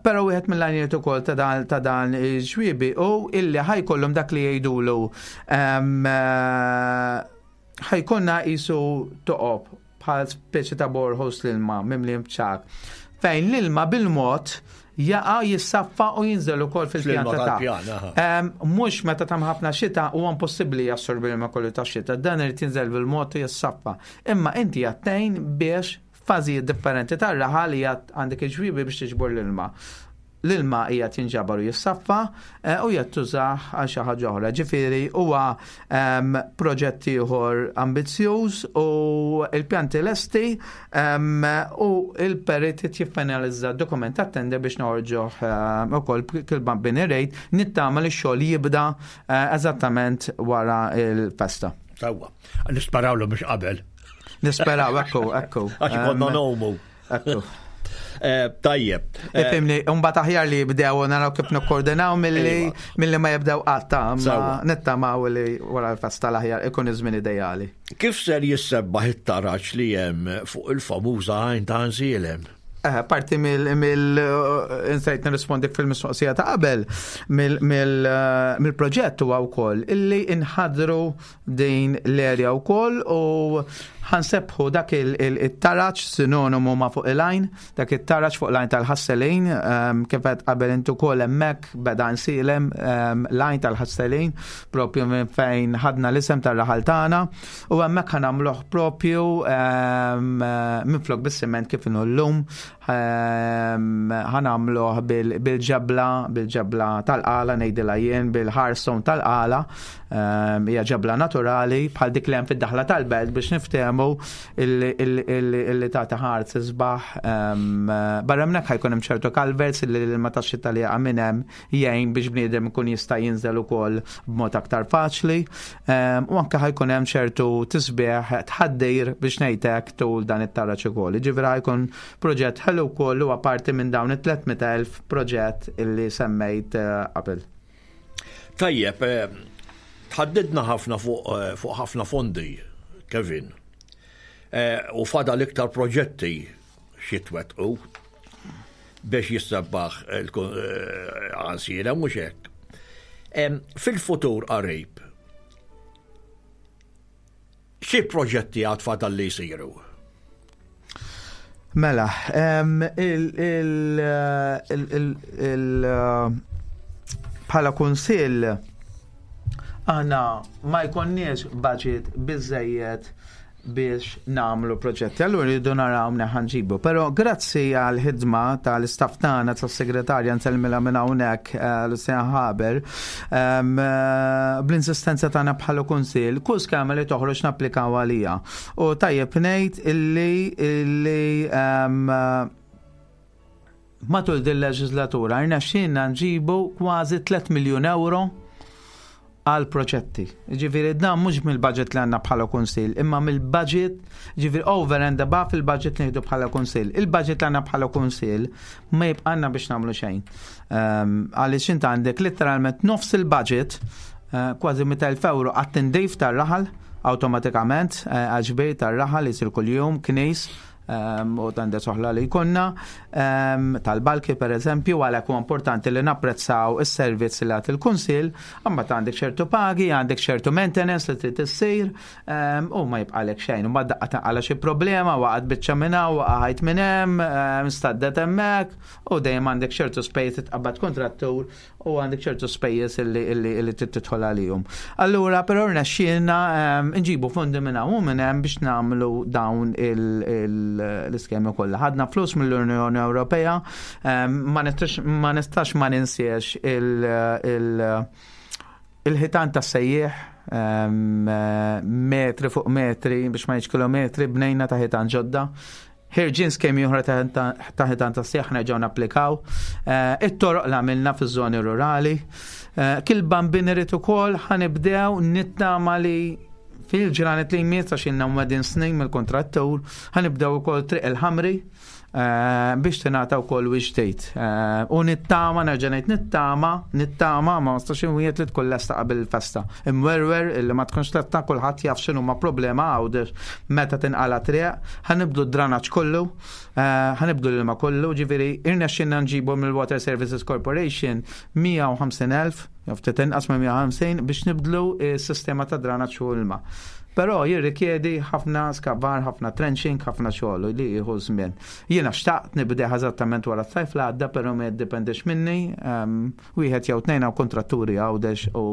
Però wieħed mill-għanijiet ukoll ta' dan ta' dan il-ġwiebi u illi ħa jkollhom dak li jgħidulu um, uh, ħa jkollna qisu toqob bħal speċi ta' boreholes, l-ilma mimli mċak, fejn l-ilma bil-mod jaqa', jissaffa u jinżel ukoll fil-pjan Fl-ilma ta' tal-pjan, aha. Em, Mhux meta tam ħafna xita huwa impossibbli jassorbi l-ilma kollu ta' xita, dan irid jinżel bil-mod u jissaffa. Imma inti għattejn biex fażijiet differenti tar-raħal li għandek il-ġwiebi biex tiġbor l-ilma. L-ilma hija tinġabar u jissaffa eh, u qed tużah għal xi ħaġa oħra. Ġifieri huwa em, proġett ieħor ambizzjuż u il-pjanti lesti em, u il-perit jiffinalizza dokument ta' tender biex noħorġuh em, ukoll kil bini rejt, nittama li x-xogħol jibda eh, eżattament wara il-festa. Sewwa. Nisparawlu biex qabel. Nisperaw, ekku, ekku. Għax konna nomu. Ekku. Eh, Tajjeb. Eh, Ifhimni, mbagħad aħjar li jibdew u naraw kif nikkoordinaw milli Iva. milli ma jibdew qatt, ma Sewwa. nittamaw li wara l-festa l-aħjar ikun iż-żmien ideali. Kif ser jissebbaħ it-taraġ li hemm fuq il-famuża għajn ta' Għajnsielem? Eh, parti mill mill insejt nirrispondi fil-mistoqsija ta' qabel mill- mill- eh, mill-proġett huwa wkoll illi inħadru din l-area wkoll u ħa nsebbħu dak il-taraġ sinonimu ma' fuq il-għajn, dak it-taraġ fuq l-għajn tal-Ħasselin, ehm, kif qed qabel intu wkoll, hemmhekk beda Għajnsielem, ehm, l-għajn tal-Ħasselin, propju minn fejn ħadna l-isem tar-raħal tagħna, u hemmhekk ħa nagħmluh propju ehm, minflok bis-siment kif inhu llum, ehm, ħa nagħmluh bil-ġebla, bil-ġebla tal-qala ngħidilha jien, bil-hardstone tal-qala, ehm, hija ġebla naturali bħal dik li hemm fid-daħla tal-belt biex niftehmu illi tagħti ħars isbaħ. ehm, Barra minn hekk ħa jkun hemm ċertu culverts illi l-ilma tax-xita li jaqa' minn hemm jgħin biex bniedem ikun jista' jinżel ukoll b'mod aktar faċli. Ehm, U anke ħa jkun hemm ċertu tisbieħ, tħaddir biex ngħidlek, tul dan it-taraġ ukoll. Ġifieri ħa jkun proġett ħelu wkoll, huwa parti minn dawn it-tliet mitt elf proġett illi semmejt eh, qabel. Tajjeb, eh, tħaddidna ħafna fuq eh, fuq ħafna fondi, Kevin. Eh, U fadal iktar proġetti x'jitwettqu biex jissabbaħ Għajnsielem, mhux hekk? Em, Fil-futur qarib, xi proġetti għad fadal li jsiru? Mela, em, il, il, il, il, il, bħala kunsill aħna ma jkollniex budget biżejjed biex nagħmlu proġetti. Allura rridu naraw minn ħa nġibu. Però grazzi għal ħidma tal-istaff tagħna, tas-segretarja, nsellmilha minn hawnhekk, eh, Lucian Haber, em, eh, bl-insistenza tagħna bħala kunsill, kull skema li toħroġ napplikaw għalija. U tajjeb ngħid illi illi em, matul din leġislatura rnexxielna nġibu kważi tliet miljun euro għal proġetti. Ġifieri dan mhux mill-budget li għandna bħala kunsill, imma mill-budget, ġifieri over and above il-budget li nieħdu bħala kunsill. Il-budget li għandna bħala kunsill ma jibqanna biex nagħmlu xejn. Um, Għaliex int għandek literalment nofs il-budget, uh, kważi mitt elf euro għat-tindif tar-raħal automatikament, uh, għal-ġbir tar-raħal jisir kuljum, knis, um, u tender oħra li jkollna um, tal-balki per eżempju, għalhekk huwa importanti li napprezzaw is-servizz li għat il-kunsill, imma għandek ċertu pagi, għandek ċertu maintenance li trid issir, um, u ma jibqalek xejn. U daqqa taqala xi problema, waqgħet biċċa minn hawn, waqgħet minn hemm, um, staddet hemmhekk, u dejjem għandek ċertu spejjeż, titqabbad kontrattur u għandek ċertu spejjeż illi illi illi trid tidħol għalihom. Allura però rnexxielna um, nġibu fondi minn hawn u minn hemm biex nagħmlu dawn il- il l-iskemi kollha. Ħadna flus mill-Unjoni Ewropea, ma nistax ma ninsiex il-ħitan tas-sejjieħ, metri fuq metri biex ma ngħidx kilometri bnejna ta' ħitan ġodda. Ħirġin skemi oħra ta' ħitan tas-sejjieħ nerġgħu napplikaw. It-toroq li għamilna fiż-żoni rurali. Kil bambin irid ukoll ħanibdew nittama li fil-ġranet li jmiss, għax ilna mwedin snin mill-kontrattur, ħanibdew ukoll Triq il-Ħamri biex tingħata wkoll wiċċ ġdid. U nittama, nerġa' ngħid nittama, nittama ma nistax inwiegħed li tkun lesta qabel il-festa. Imwerwer illi ma tkunx lesta, kulħadd jaf x'inhu ma problema Għawdex meta tinqala triq, ħanibdu d-dranaġġ kollu, ħanibdu l-ilma kollu, ġifieri irnexxinna nġibu mill-Water Services Corporation mija u ħamsin elf, jew ftit inqas minn mija u ħamsin, biex nibdlu s-sistema ta' dranaġġ u ilma. Però jirrikjedi ħafna skavar, ħafna trenching, ħafna xogħol li jieħu żmien. Jiena xtaqt nibdeħ eżattament wara s-sajf li għadda, però ma jiddependix minni, ehm, wieħed jew tnejn hawn kontratturi Għawdex u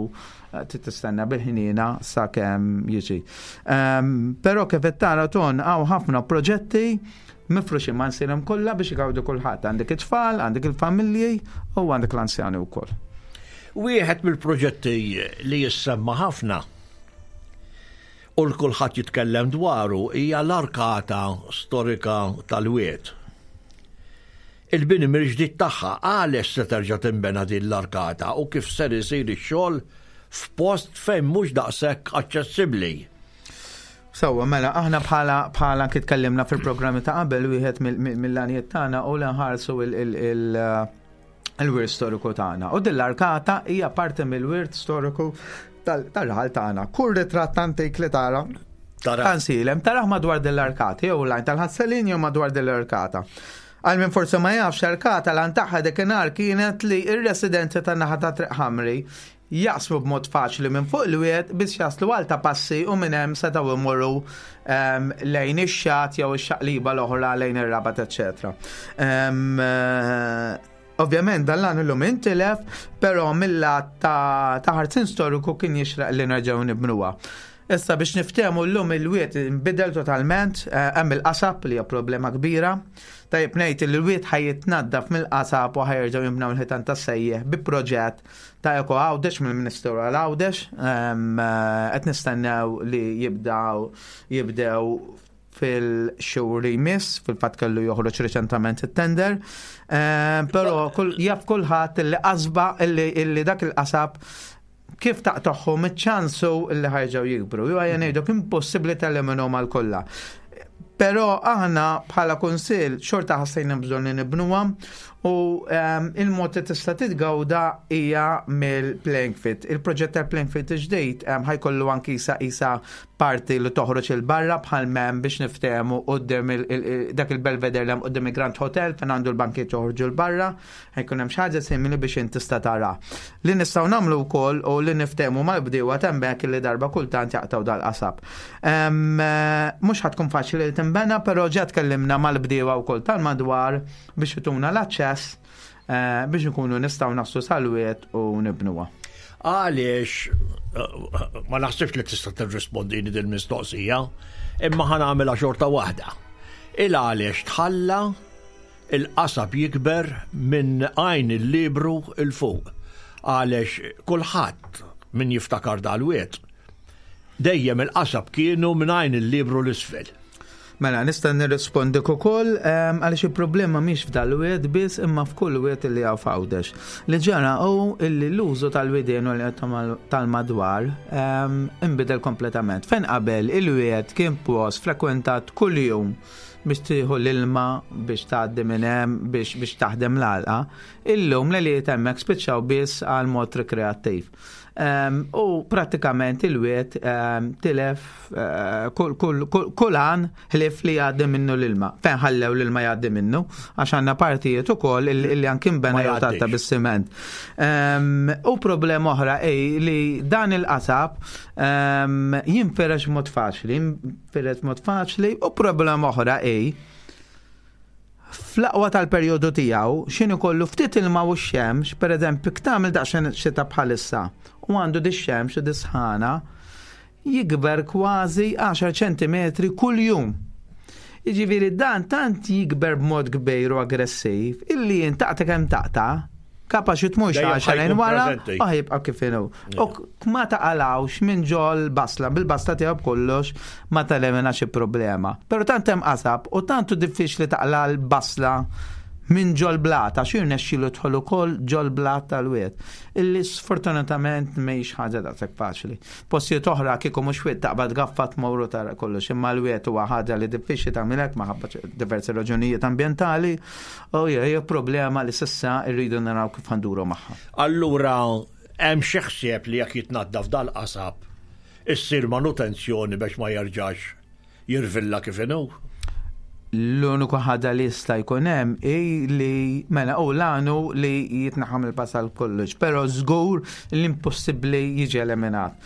trid tistenna bil-ħiniena sakemm jiġi. Ehm, però kif qed tara Ton, hawn ħafna proġetti mifruxin ma' nsirhom kollha biex igawdu kulħadd. Għandek it-tfal, għandek il-familji u għandek l-anzjani wkoll. Wieħed mill-proġetti li jissemma ħafna u l-kulħadd jitkellem dwaru hija l-arkata storika tal-Wied. Il-bini mill-ġdid tagħha, għaliex se terġa' tinbena din l-arkata u kif ser isir ix-xogħol f'post fejn mhux daqshekk aċċessibbli? Sewwa, mela, aħna bħala, bħala kif tkellimna fil-programmi ta' qabel, wieħed mill-għanijiet tagħna u li nħarsu il-, il-, il-, il-wirt storiku tagħna. U din l-arkata hija parti mill-wirt storiku tal-, tal-raħal tagħna. Kull ritratt antik li tara Tara. Għansilem, taraħ madwar dell-arkata, jew lajn tal-Ħasselin jew madwar dell-arkata. Għal min forse ma jafx, arkata lan tagħha dakinhar kienet li r-residenti tan-naħa ta' Triq Ħamri jaqsmu b'mod faċli minn fuq il-wied biex jaslu għal ta' passi u minn hemm setgħu imorru, ehm, lejn ix-xatt jew ix-xaqliba l-oħra lejn ir-Rabat, eċċetera. Ehm, eh, ovvjament dan l-għan illum intilef, però mill-lat ta', ta' ħarsin storiku kien jixraq li nerġgħu nibnuha. Issa biex niftehmu llum il-wied inbidel totalment, eh, hemm il-qasab li hija problema kbira. Tajjeb ngħid li l-wied ħajjitnaddaf mill-qasab u ħajerġgħu jibnew il-ħitan tas-sejjeħ bi proġett ta' Eko Għawdex mill-Ministeru għal Għawdex. Ehm, eh, qed nistennew li jibdaw, jibdew fil-xhur li jmiss, fil-fatt kellu joħroġ reċentament it-tender. Ehm, però kull, jaf kulħadd li qasba illi, illi dak il-qasab kif taqtagħhom iċ-ċansu illi ħajġew jikbru. Ju għajja ngħiduk impossibbli telliminhom għal kollha. Però aħna bħala kunsill xorta ħassejna bżonn li nibnuha u, ehm, il-mod li tista' titgawda hija mill-playing field. Il-proġett tal-playing field ġdid, ehm, ħajkollu anki isa, isa parti li toħroġ il-barra bħal mem biex niftehmu quddiem il-, il-, il-, dak il-Belvedere li hemm quddiem il-Grand Hotel fejn għandu l-bankiet joħorġu l-barra, ħajkun hemm xi ħaġa simili biex inti tista' tara. Li nistgħu nagħmlu wkoll u li niftehmu mal-bdiewa hemmhekk li darba kultant jaqtgħu dal-qasab. Ehm, mhux ħadd tkun faċli li tinbena, però ġa tkellimna mal-bdiewa wkoll tal-madwar biex ituna l-aċċess, eh, biex nkunu nistgħu naslu sal-wied u nibnuha. Għaliex, eh, ma naħsibx li tista' tirrispondini din mistoqsija, imma ħa nagħmilha xorta waħda. Il għaliex tħalla il-qasab jikber minn għajn il-libru il fuq. Għaliex kulħadd min jiftakar dal-wied, dejjem il-qasab kienu minn għajn il-libru l-isfel. Mela, nista' nirrispondik ukoll, ehm, għaliex il-problema mhix f'dal-wied biss imma f'kull wied li hawn f'Għawdex. Li ġara hu illi l-użu tal-widien u li tal-madwar, ehm, inbidel kompletament. Fejn qabel il-wied kien post frekwentat kuljum biex tieħu l-ilma, biex tgħaddi minn hemm, biex, biex taħdem l-għalqa, illum li li hemmhekk spiċċaw biss għal mod rekreattiv. Ehm, u pratikament il-wied, ehm, tilef, eh, kull, kull, kull, kull għan ħlief li jgħaddi minnu l-ilma. Fejn ħallew l-ilma jgħaddi minnu, għax għandna partijiet ukoll il-, illi anki nbena Ma jew jgħaddix. tatta bis-siment. Ehm, u problema oħra ej li dan il-qasab, ehm, jinferex mod faċli, jinferex mod faċli, u problema oħra ej fl-aqwa tal-perjodu tiegħu x'inhu kollu ftit ilma u x-xemx, pereżempju jekk tagħmel daqsxejn xita bħalissa u għandu di x-xemx u di sħana, jikber kważi għaxar ċentimetri kuljum. Jiġifieri dan tant jikber b'mod kbir u aggressiv illi intaqta kemm taqta', kapaċi tmur Dejjem xi ħajkun wara preżenti. u ħajibqa' kif inhu. U k- ma taqalawx minn ġol basla, bil-basla tiegħu b'kollox ma telimina xi problema. Però tant hemm qasab u tant hu diffiċli taqla l-basla minn ġol blata, xi jirnexxielu dħol ukoll ġol blat tal-wied. Illi sfortunatament mhijiex ħaġa daqshekk faċli. Postijiet oħra kieku mhux wied taqbad gaffa tmorru tara kollox, imma l-wied huwa ħaġa li diffiċli tagħmilek minħabba diversi raġunijiet ambjentali u hija hija problema li s'issa rridu naraw kif ħa nduru magħha. Allura, hemm xi ħsieb li jekk jitnaddaf dal-qasab issir manutenzjoni biex ma jerġax jirvilla kif inhu? L-uniku ħaġa li jista' jkun hemm hi li mela u l-għanu li jitnaħam il-pasal kollox, però żgur l-impossibbli jiġi eliminat.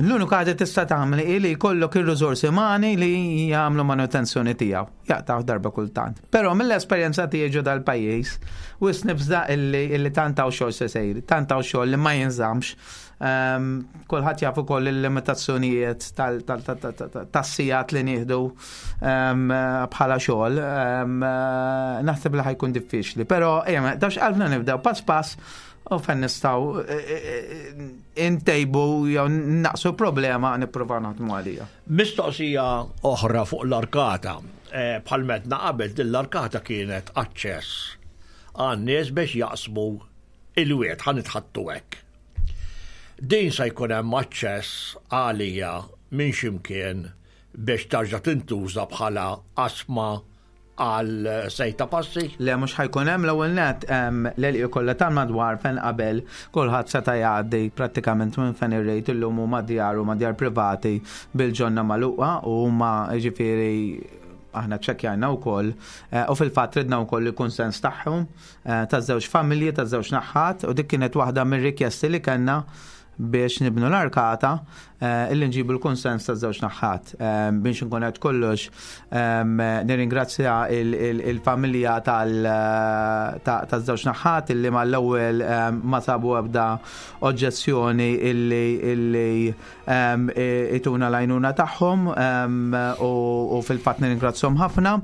L-uniku ħaġa tista' tagħmel hi li jkollok ir-riżorsi umani li jagħmlu manutenzjoni tiegħu, jaqtaw darba kultant. Però mill-esperjenza tiegħi ġo dal-pajjiż, wisq nibża' illi illi tant hawn xogħol se sejr, tant hawn xogħol li ma jinżammx. Um, Kulħadd jaf ukoll il-limitazzjonijiet tas-sigħat li nieħdu um, bħala xogħol. Um, naħseb li ħa jkun diffiċli, però ejja, ma dawx qalbna nibdew pass pass u fejn nistgħu intejbu jew naqsu problema nippruvaw naħdmu għalija. Mistoqsija oħra fuq l-arkata. Eh, Bħal m'għedna qabel din l-arkata kienet aċċess għan-nies biex jaqsmu il-wied, ħa nitħaddtu hekk. Din se jkun hemm aċċess għalija minn ximkien biex tarġa' tintuża bħala qasma għal sejta passi? Le, mhux ħa jkun hemm. L-ewwel net l-għelieqi kollha tal-madwar fejn qabel kulħadd seta' jgħaddi prattikament minn fejn ir-rejt illum huma djar u djar privati bil-ġonna magħluqa u huma, ġifieri, aħna ċċekkjajna wkoll eh, u fil-fatt ridna wkoll il-kunsens tagħhom eh, taż-żewġ familji, taż-żewġ naħat, u dik kienet waħda mir-rikjesti li kellna biex nibnu l-arkata, eh, illi nġibu l-konsens ta' żewġ naħat. Biex nkun qed kollox, nirringrazzja il-familja ta' żewġ naħat illi mal-ewwel ma sabu ebda oġġezzjoni illi illi ituna l-għajnuna tagħhom u fil-fatt nirringrazzjahom ħafna.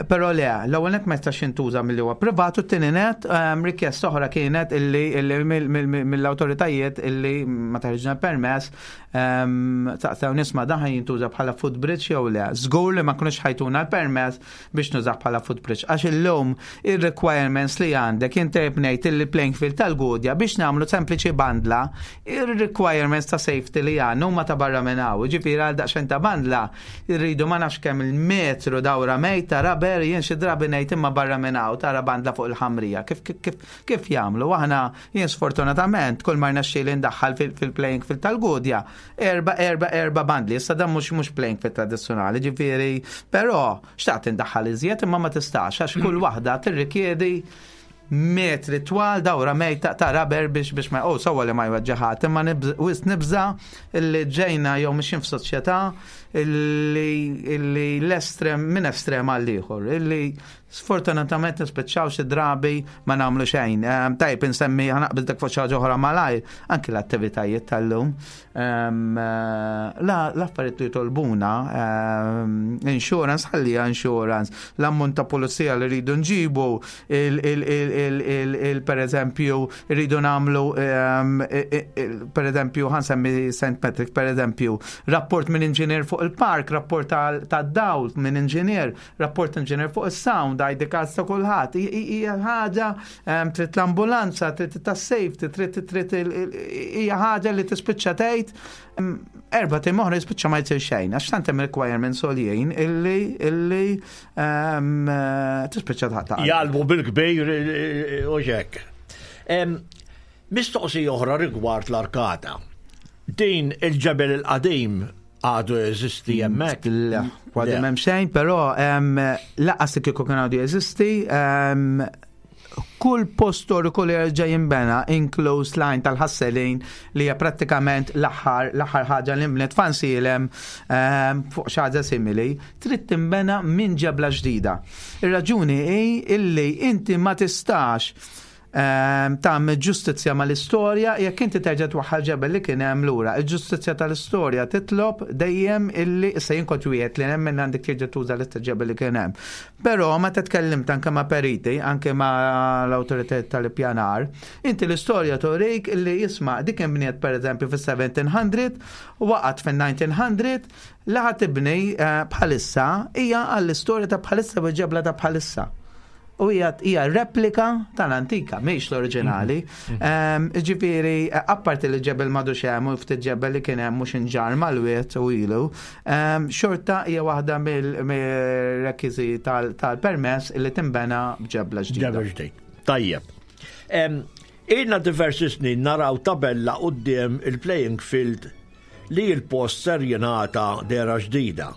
Però le, l-ewwel net ma jistax jintuża milli huwa privat u t-tieni net rikjesta oħra kienet illi mill-awtoritajiet illi meta ħriġna permess saqsew nisma' dan jintuża bħala footbridge jew le. Żgur li ma kinux ħa jtuna l-permess biex nużah bħala footbridge. Għax illum il-requirements li għandek inti bnejt il-playing field tal-Gudja biex nagħmlu sempliċi bandla, il-requirements ta' safety li għandna huma ta' barra minn hawn. Ġifieri għal daqsxejn ta' bandla irridu ma nafx kemm il-metru dawra mejta rubber. Jien xi drabi ngħid imma barra minn hawn tara bandla fuq il-ħamrija. Kif kif kif jagħmlu? Aħna jien sfortunatament kull ma rnexxieli ndaħħal fil-playing field tal-Gudja erba erba erba bandli. Issa dan mhux mhux playing field tradizzjonali, ġifieri, però xtaqt indaħħal iżjed imma ma tistax għax kull waħda tirrikjedi metri twal dawra mejta ta' rubber biex biex ma, oh, sewwa li ma jweġġaħat, imma wisq nibża illi ġejna jew mixin f'soċjetà illi illi l-estrem minn estrem għal ieħor illi sfortunatament nispiċċaw xi drabi ma nagħmlu xejn. Tajb insemmi, ħa naqbeż dak fuq xi ħaġa oħra malajr, anki l-attivitajiet tal-lum. L-affarijiet li jitolbuna, insurance, ħallija insurance, l-ammont ta' pulizija li rridu nġibu, per eżempju, rridu nagħmlu, per eżempju, ħa nsemmi Saint Patrick, per eżempju, rapport minn inġinier fuq il-park, rapport ta' dawl minn inġinier, rapport inġinier fuq il-sound, I D cards ta' kulħadd. Hija ħaġa, trid l-ambulanza, trid ta' safety, trid trid hija ħaġa li tispiċċa tgħid erba' tim oħra jispiċċa ma jsir xejn, għax tant hemm requirements għoljin illi illi tispiċċa ta' Jalbu bil-kbir u ġek. Mistoqsija oħra rigward l-arkata. Din il-ġebel il-qadim għadu jeżisti hemmhekk? Le, kważi m'hemm xejn, però lanqas kieku kien għadu jeżisti, kull post storiku li jerġa' jinbena, inkluż l-Għajn tal-Ħasselin li hija prattikament l-aħħar l-aħħar ħaġa li nbniet f'Għajnsielem fuq xi ħaġa simili, trid tinbena minn ġebla ġdida. Ir-raġuni hi illi inti ma tistax ehm, tagħmel ġustizzja mal-istorja jekk inti terġa' twaħħal ġebel li kien hemm lura. Il-ġustizzja tal-istorja titlob dejjem illi issa jien kont wieħed li nemmen għandek terġa' tuża l-istess ġebel li kien hemm. Però meta tkellimt anke ma' periti, anke ma' l-awtoritajiet tal-ippjanar, inti l-istorja turik illi jisma' dik inbniet pereżempju fis-seventeen hundred, waqgħet fin-nineteen hundred, li ħa tibni eh, bħalissa hija għall-istorja ta' bħalissa u ġebla ta' bħalissa. U hija hija replika tal-antika, mhix l-oriġinali. Ehm, Ġifieri, eh, apparti li ġebel m'għadux hemm u ftit ġebel li kien hemm mhux inġar mal-wied u ilu, ehm, xorta hija waħda mill-rekwiżiti tal-permess li timbena b'ġebla ġdida. Ġebel ġdid. Tajjeb. Em, Ilna diversi snin naraw tabella quddiem il-playing field li il-post ser jingħata dehra ġdida.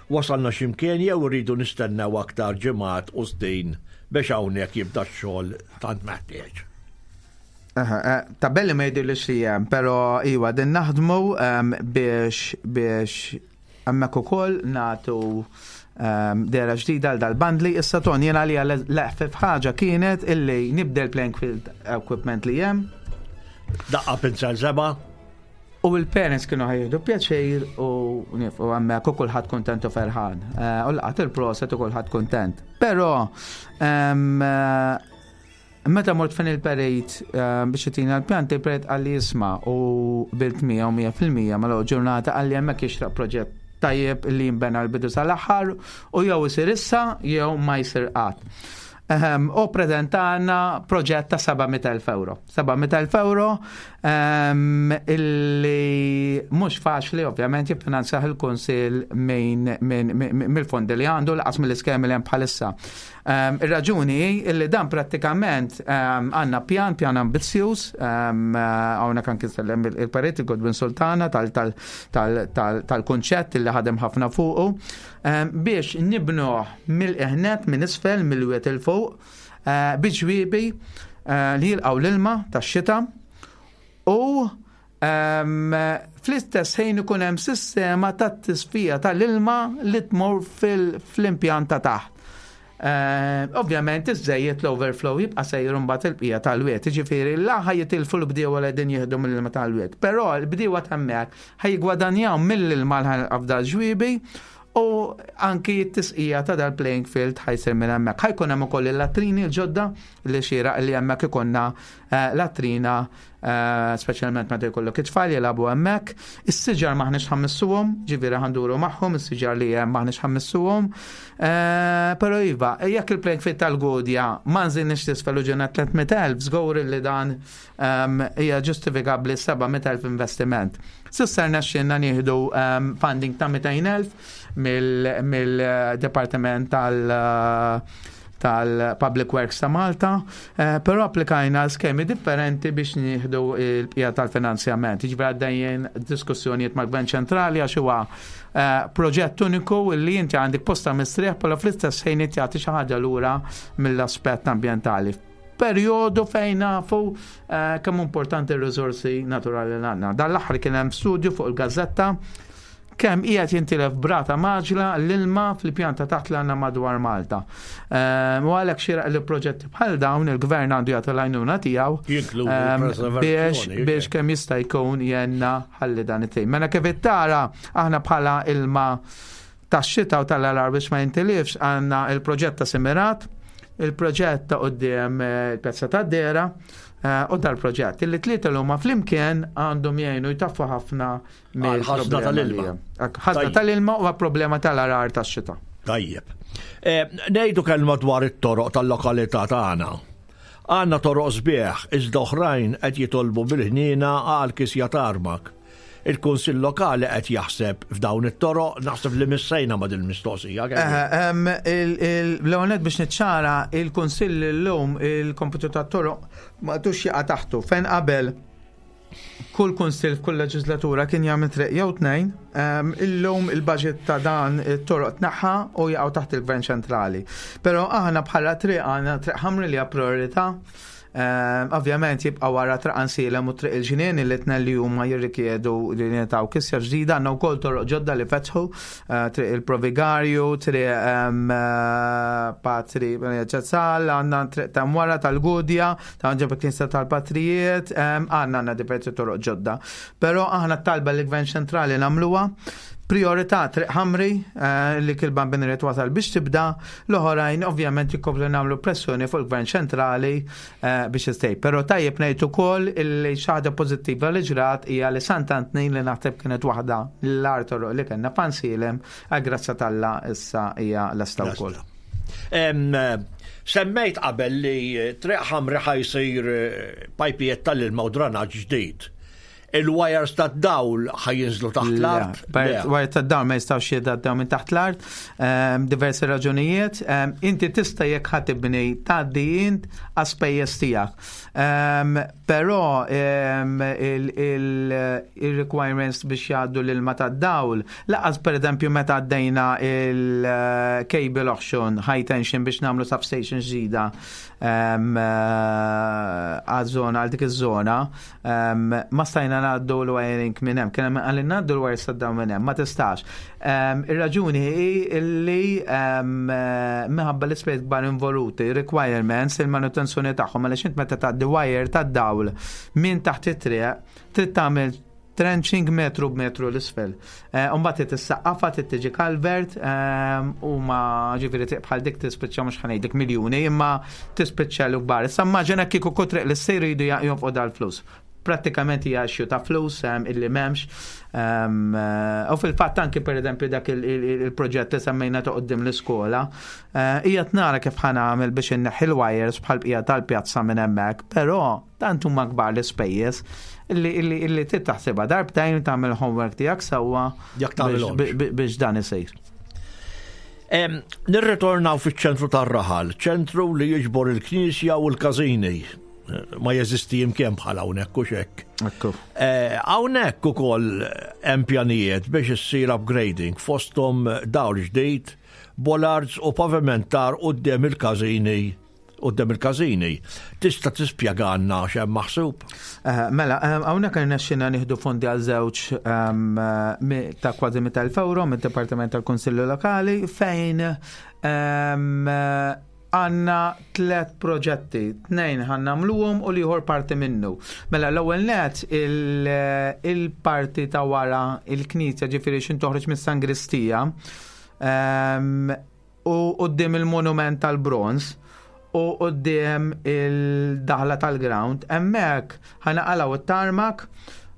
Wasalna x'imkien jew rridu nistennew aktar ġimgħat u snin biex hawnhekk jibda x-xogħol tant meħtieġ? Aha, eh, Tabelli ma jidhirlix li hemm, però iwa din naħdmu em, biex biex hemmhekk ukoll nagħtu um, dehra ġdida għal dal-bandli. Issa ton jena li l-eħfef ħaġa kienet illi nibdel playing field equipment li hemm Daqqa pinzel seba', u il-parents kienu ħa jieħdu pjaċir u nifqu hemmhekk u kulħadd kontent u ferħan. Eh, U laqat il-proset u kulħadd kontent. Però em, eh, meta mort fejn il-perit eh, biex jtina l-pjanti, il-perit qalli jisma' u qbilt miegħu mija fil-mija mal ġurnata, qalli hemmhekk jixraq proġett tajjeb li jimbena l-bidu sal-aħħar u jew isir issa jew ma jsir qatt. Ehm, u prezentana proġett ta' seba' mitt elf euro. seba' mitt elf euro um, illi mhux faċli ovvjament jiffinanzjah il-Kunsill minn min, min, mill-fondi li għandu, lanqas mill-iskemi li hemm bħalissa. Um, Ir-raġuni hi illi dan prattikament um, għandna pjan, pjan ambizzjuż, um, hawnhekk anki sellem il-perit Godwin Sultana tal-konċett li ħadem ħafna fuqu, um, biex nibnuh mill-eħnet, minn isfel, mill-wied 'il fuq, uh, bi ġwiebi uh, li jilqgħu l-ilma tax-xita u um, fl-istess ħin ikun hemm sistema ta' tisfija tal-ilma li tmur fil-impjant ta' taħt. Uh, ovvjament iż-żejjed l-overflow jibqa' sejjer mbagħad il-bqija tal-wied. Jiġifieri la ħa jitilfu l-bdiewa li qegħdin jieħdu mill-ilma tal-wied. Però l-bdiewa t'hemmhekk ħa jiggwadanjaw mill-ilma l ġwiebi u anki t-tisqija ta' dal-playing field ħa jsir minn hemmhekk. Ħa jkun hemm ukoll il-latrini l-ġodda li xieraq li hemmhekk ikollna eh, latrina eh, speċjalment meta jkollok it-tfal jilagħbu hemmhekk. Is-siġar m'aħniex ħa mmissuhom, ġifieri ħa nduru magħhom, is-siġar li hemm m'aħniex ħa mmissuhom. Eh, Però iva, jekk il-playing field tal-Gudja ma nżilniex t'isfel u ġena tliet mitt elf, żgur li dan ehm, hija ġustifikabbli seba' mitt elf investiment. S'issa rnexxielna nieħdu ehm, funding ta' mitejn elf mill-Departiment tal- tal-Public Works ta' Malta, eh, però applikajna skemi differenti biex nieħdu il-bqija tal-finanzjament. Jiġifieri għaddejjin diskussjonijiet mal-Gvern Ċentrali għax huwa eh, proġett uniku li inti għandek posta mistrieħ, però fl-istess ħin inti jagħti xi ħaġa lura mill-aspett ambjentali. Perjodu fejn nafu eh, kemm importanti r-riżorsi naturali li għandna. Dan l-aħħar kien hemm studju fuq il-gazzetta kemm qiegħed jintilef b'rata mgħaġġla l-ilma fil-pjanta taħt li għandna madwar Malta. Ehm, U għalhekk xieraq li proġetti bħal dawn il-gvern għandu jagħti l-għajnuna tiegħu Jinkludi ehm, biex preservazzjoni, biex kemm jista' jkun jenna ħalli dan it-tim. Mela kif tara aħna bħala ilma tax-xita u tal-għargħar biex ma jintilifx għandna il-proġett ta' Simirat, il-proġett ta' quddiem eh, il-Pjazza ta' Dera eh, u dal-proġett. Illi tlieta l huma flimkien għandhom jgħinu jtaffu ħafna Għal-ħażna tal-ilma. Ħażna Tajjeb. tal-ilma u problema tal-għargħar tax-xita. Tajjeb. Eh, Ngħidu kelma dwar it-toroq tal-lokalità tagħna. Għandna toroq sbieħ, iżda oħrajn qed jitolbu bil-ħnina għal kisja tarmak. Il-Kunsill Lokali qed jaħseb f'dawn it-toroq, naħseb li missejna ma' din il-mistoqsija. L-għonet biex niċċara, il-Kunsill l-lum il-kompitu tat-toroq m'għadux jaqa' taħtu. Fejn qabel kull kunsill f'kull leġislatura kien jagħmel triq jew tnejn, em, illum il-budget ta' dan it-toroq tneħħa u jaqgħu taħt il-Gvern Ċentrali. Però aħna bħala triq għandna Triq Ħamri li hija priorità. Ehm, ovvjament jibqa' wara Triq Għajnsielem u Triq il-Ġnien li tnejn li huma jirrikjedu li jingħataw kisja ġdida. Għandna wkoll toroq ġodda li fetħu, eh, Triq il-Provigarju, Triq ehm, eh, Patri Ċezzal, għandna triq ta' wara tal-Gudja, ta' ġeb il-Knisja tal-Patrijiet, ehm, għandna għandna diversi toroq ġodda. Però aħna talba li gvern ċentrali nagħmluha. Priorità Triq Ħamri eh, li kil-Bambin wasal biex tibda, l-oħrajn ovvjament jikkomplu nagħmlu pressjoni fuq il-gvern ċentrali eh, biex istej. Però tajjeb ngħid ukoll illi xi ħaġa pożittiva li ġrat hija li Sant'Antnin, li naħseb kienet waħda l-agħar toroq li kellna f'Għajnsielem, għal grazzja t'Alla issa hija lesta wkoll. Em, eh, Semmejt qabel li Triq Ħamri ħa jsir eh, pajpijiet tal-ilma u dranaġġ ġdid. Il-wires tad-dawl ħa jinżlu taħt l-art? Le, wire tad-dawl ma jistgħux jgħaddew minn taħt l-art, ehm, diversi raġunijiet. Ehm, Inti tista' jekk ħa tibni tgħaddi int għas-spejjeż tiegħek. Ehm, Però ehm, il- il- il-requirements biex jgħaddu l-ilma tad-dawl, lanqas per eżempju meta għaddejna il-cable auction high tension biex nagħmlu substation ġdida ehm, eh, għaż-żona, għal dik iż-żona, ehm, ma stajna ngħaddu l-wiring minn hemm. Kien hemm għalli ngħaddu l-wires tad minn hemm, ma tistax. Ehm, Ir-raġuni hi illi ehm, eh, minħabba l-ispejjeż kbar involuti, requirements, il-manutenzjoni tagħhom, għaliex int meta tgħaddi wire tad-dawl minn taħt it-triq, trid tagħmel trenching metru b'metru l-isfel. Eh, Umbagħad trid issaqqafha, trid tiġi culvert, ehm, u ma ġifieri triq bħal dik tispiċċa, mhux ħa ngħidlek miljuni, imma tispiċċa l-kbar. Issa immaġina kieku kull triq li ssir jridu jonfqu dal-flus. Prattikament hija issue ta' flus ehm, illi m'hemmx. Ehm, eh, U fil-fatt anki per eżempju dak il- il- il-proġett li semmejna ta' quddiem l-iskola, eh, hija tnara kif ħa nagħmel biex inneħħi l-wires bħal bqija tal-pjazza minn hemmhekk, però tant huma kbar l-ispejjeż illi illi illi trid taħsibha darbtejn, tagħmel homework tiegħek sewwa Jekk tagħmilhomx. biex- bi- biex dan isir. Em, Nirritornaw fiċ-ċentru tar-raħal, ċentru li jiġbor il-knisja u l-każini. Ma jeżisti imkien bħal hawnhekk u xekk. Ekku. Eh, Hawnhekk ukoll hemm pjanijiet biex issir upgrading, fosthom dawl ġdid, bollards u pavimentar quddiem il-każini quddiem il-każini. Tista' tispjegalna x'hemm maħsub? Eh, Mela, eh, hawnhekk irnexxina nieħdu fondi għal żewġ ehm, mi- ta' kważi mitt elf euro mid-Dipartiment tal-Kunsilli Lokali fejn ehm, għandna tlet proġetti, tnejn ħa nagħmluhom u l-ieħor parti minnu. Mela, l-ewwel net il- il-parti ta' wara il-knisja, ġifieri xin toħroġ mis-sangristija ehm, u quddiem il-monument tal-bronz u quddiem il-daħla tal-ground, hemmhekk ħa naqilgħu it-tarmac,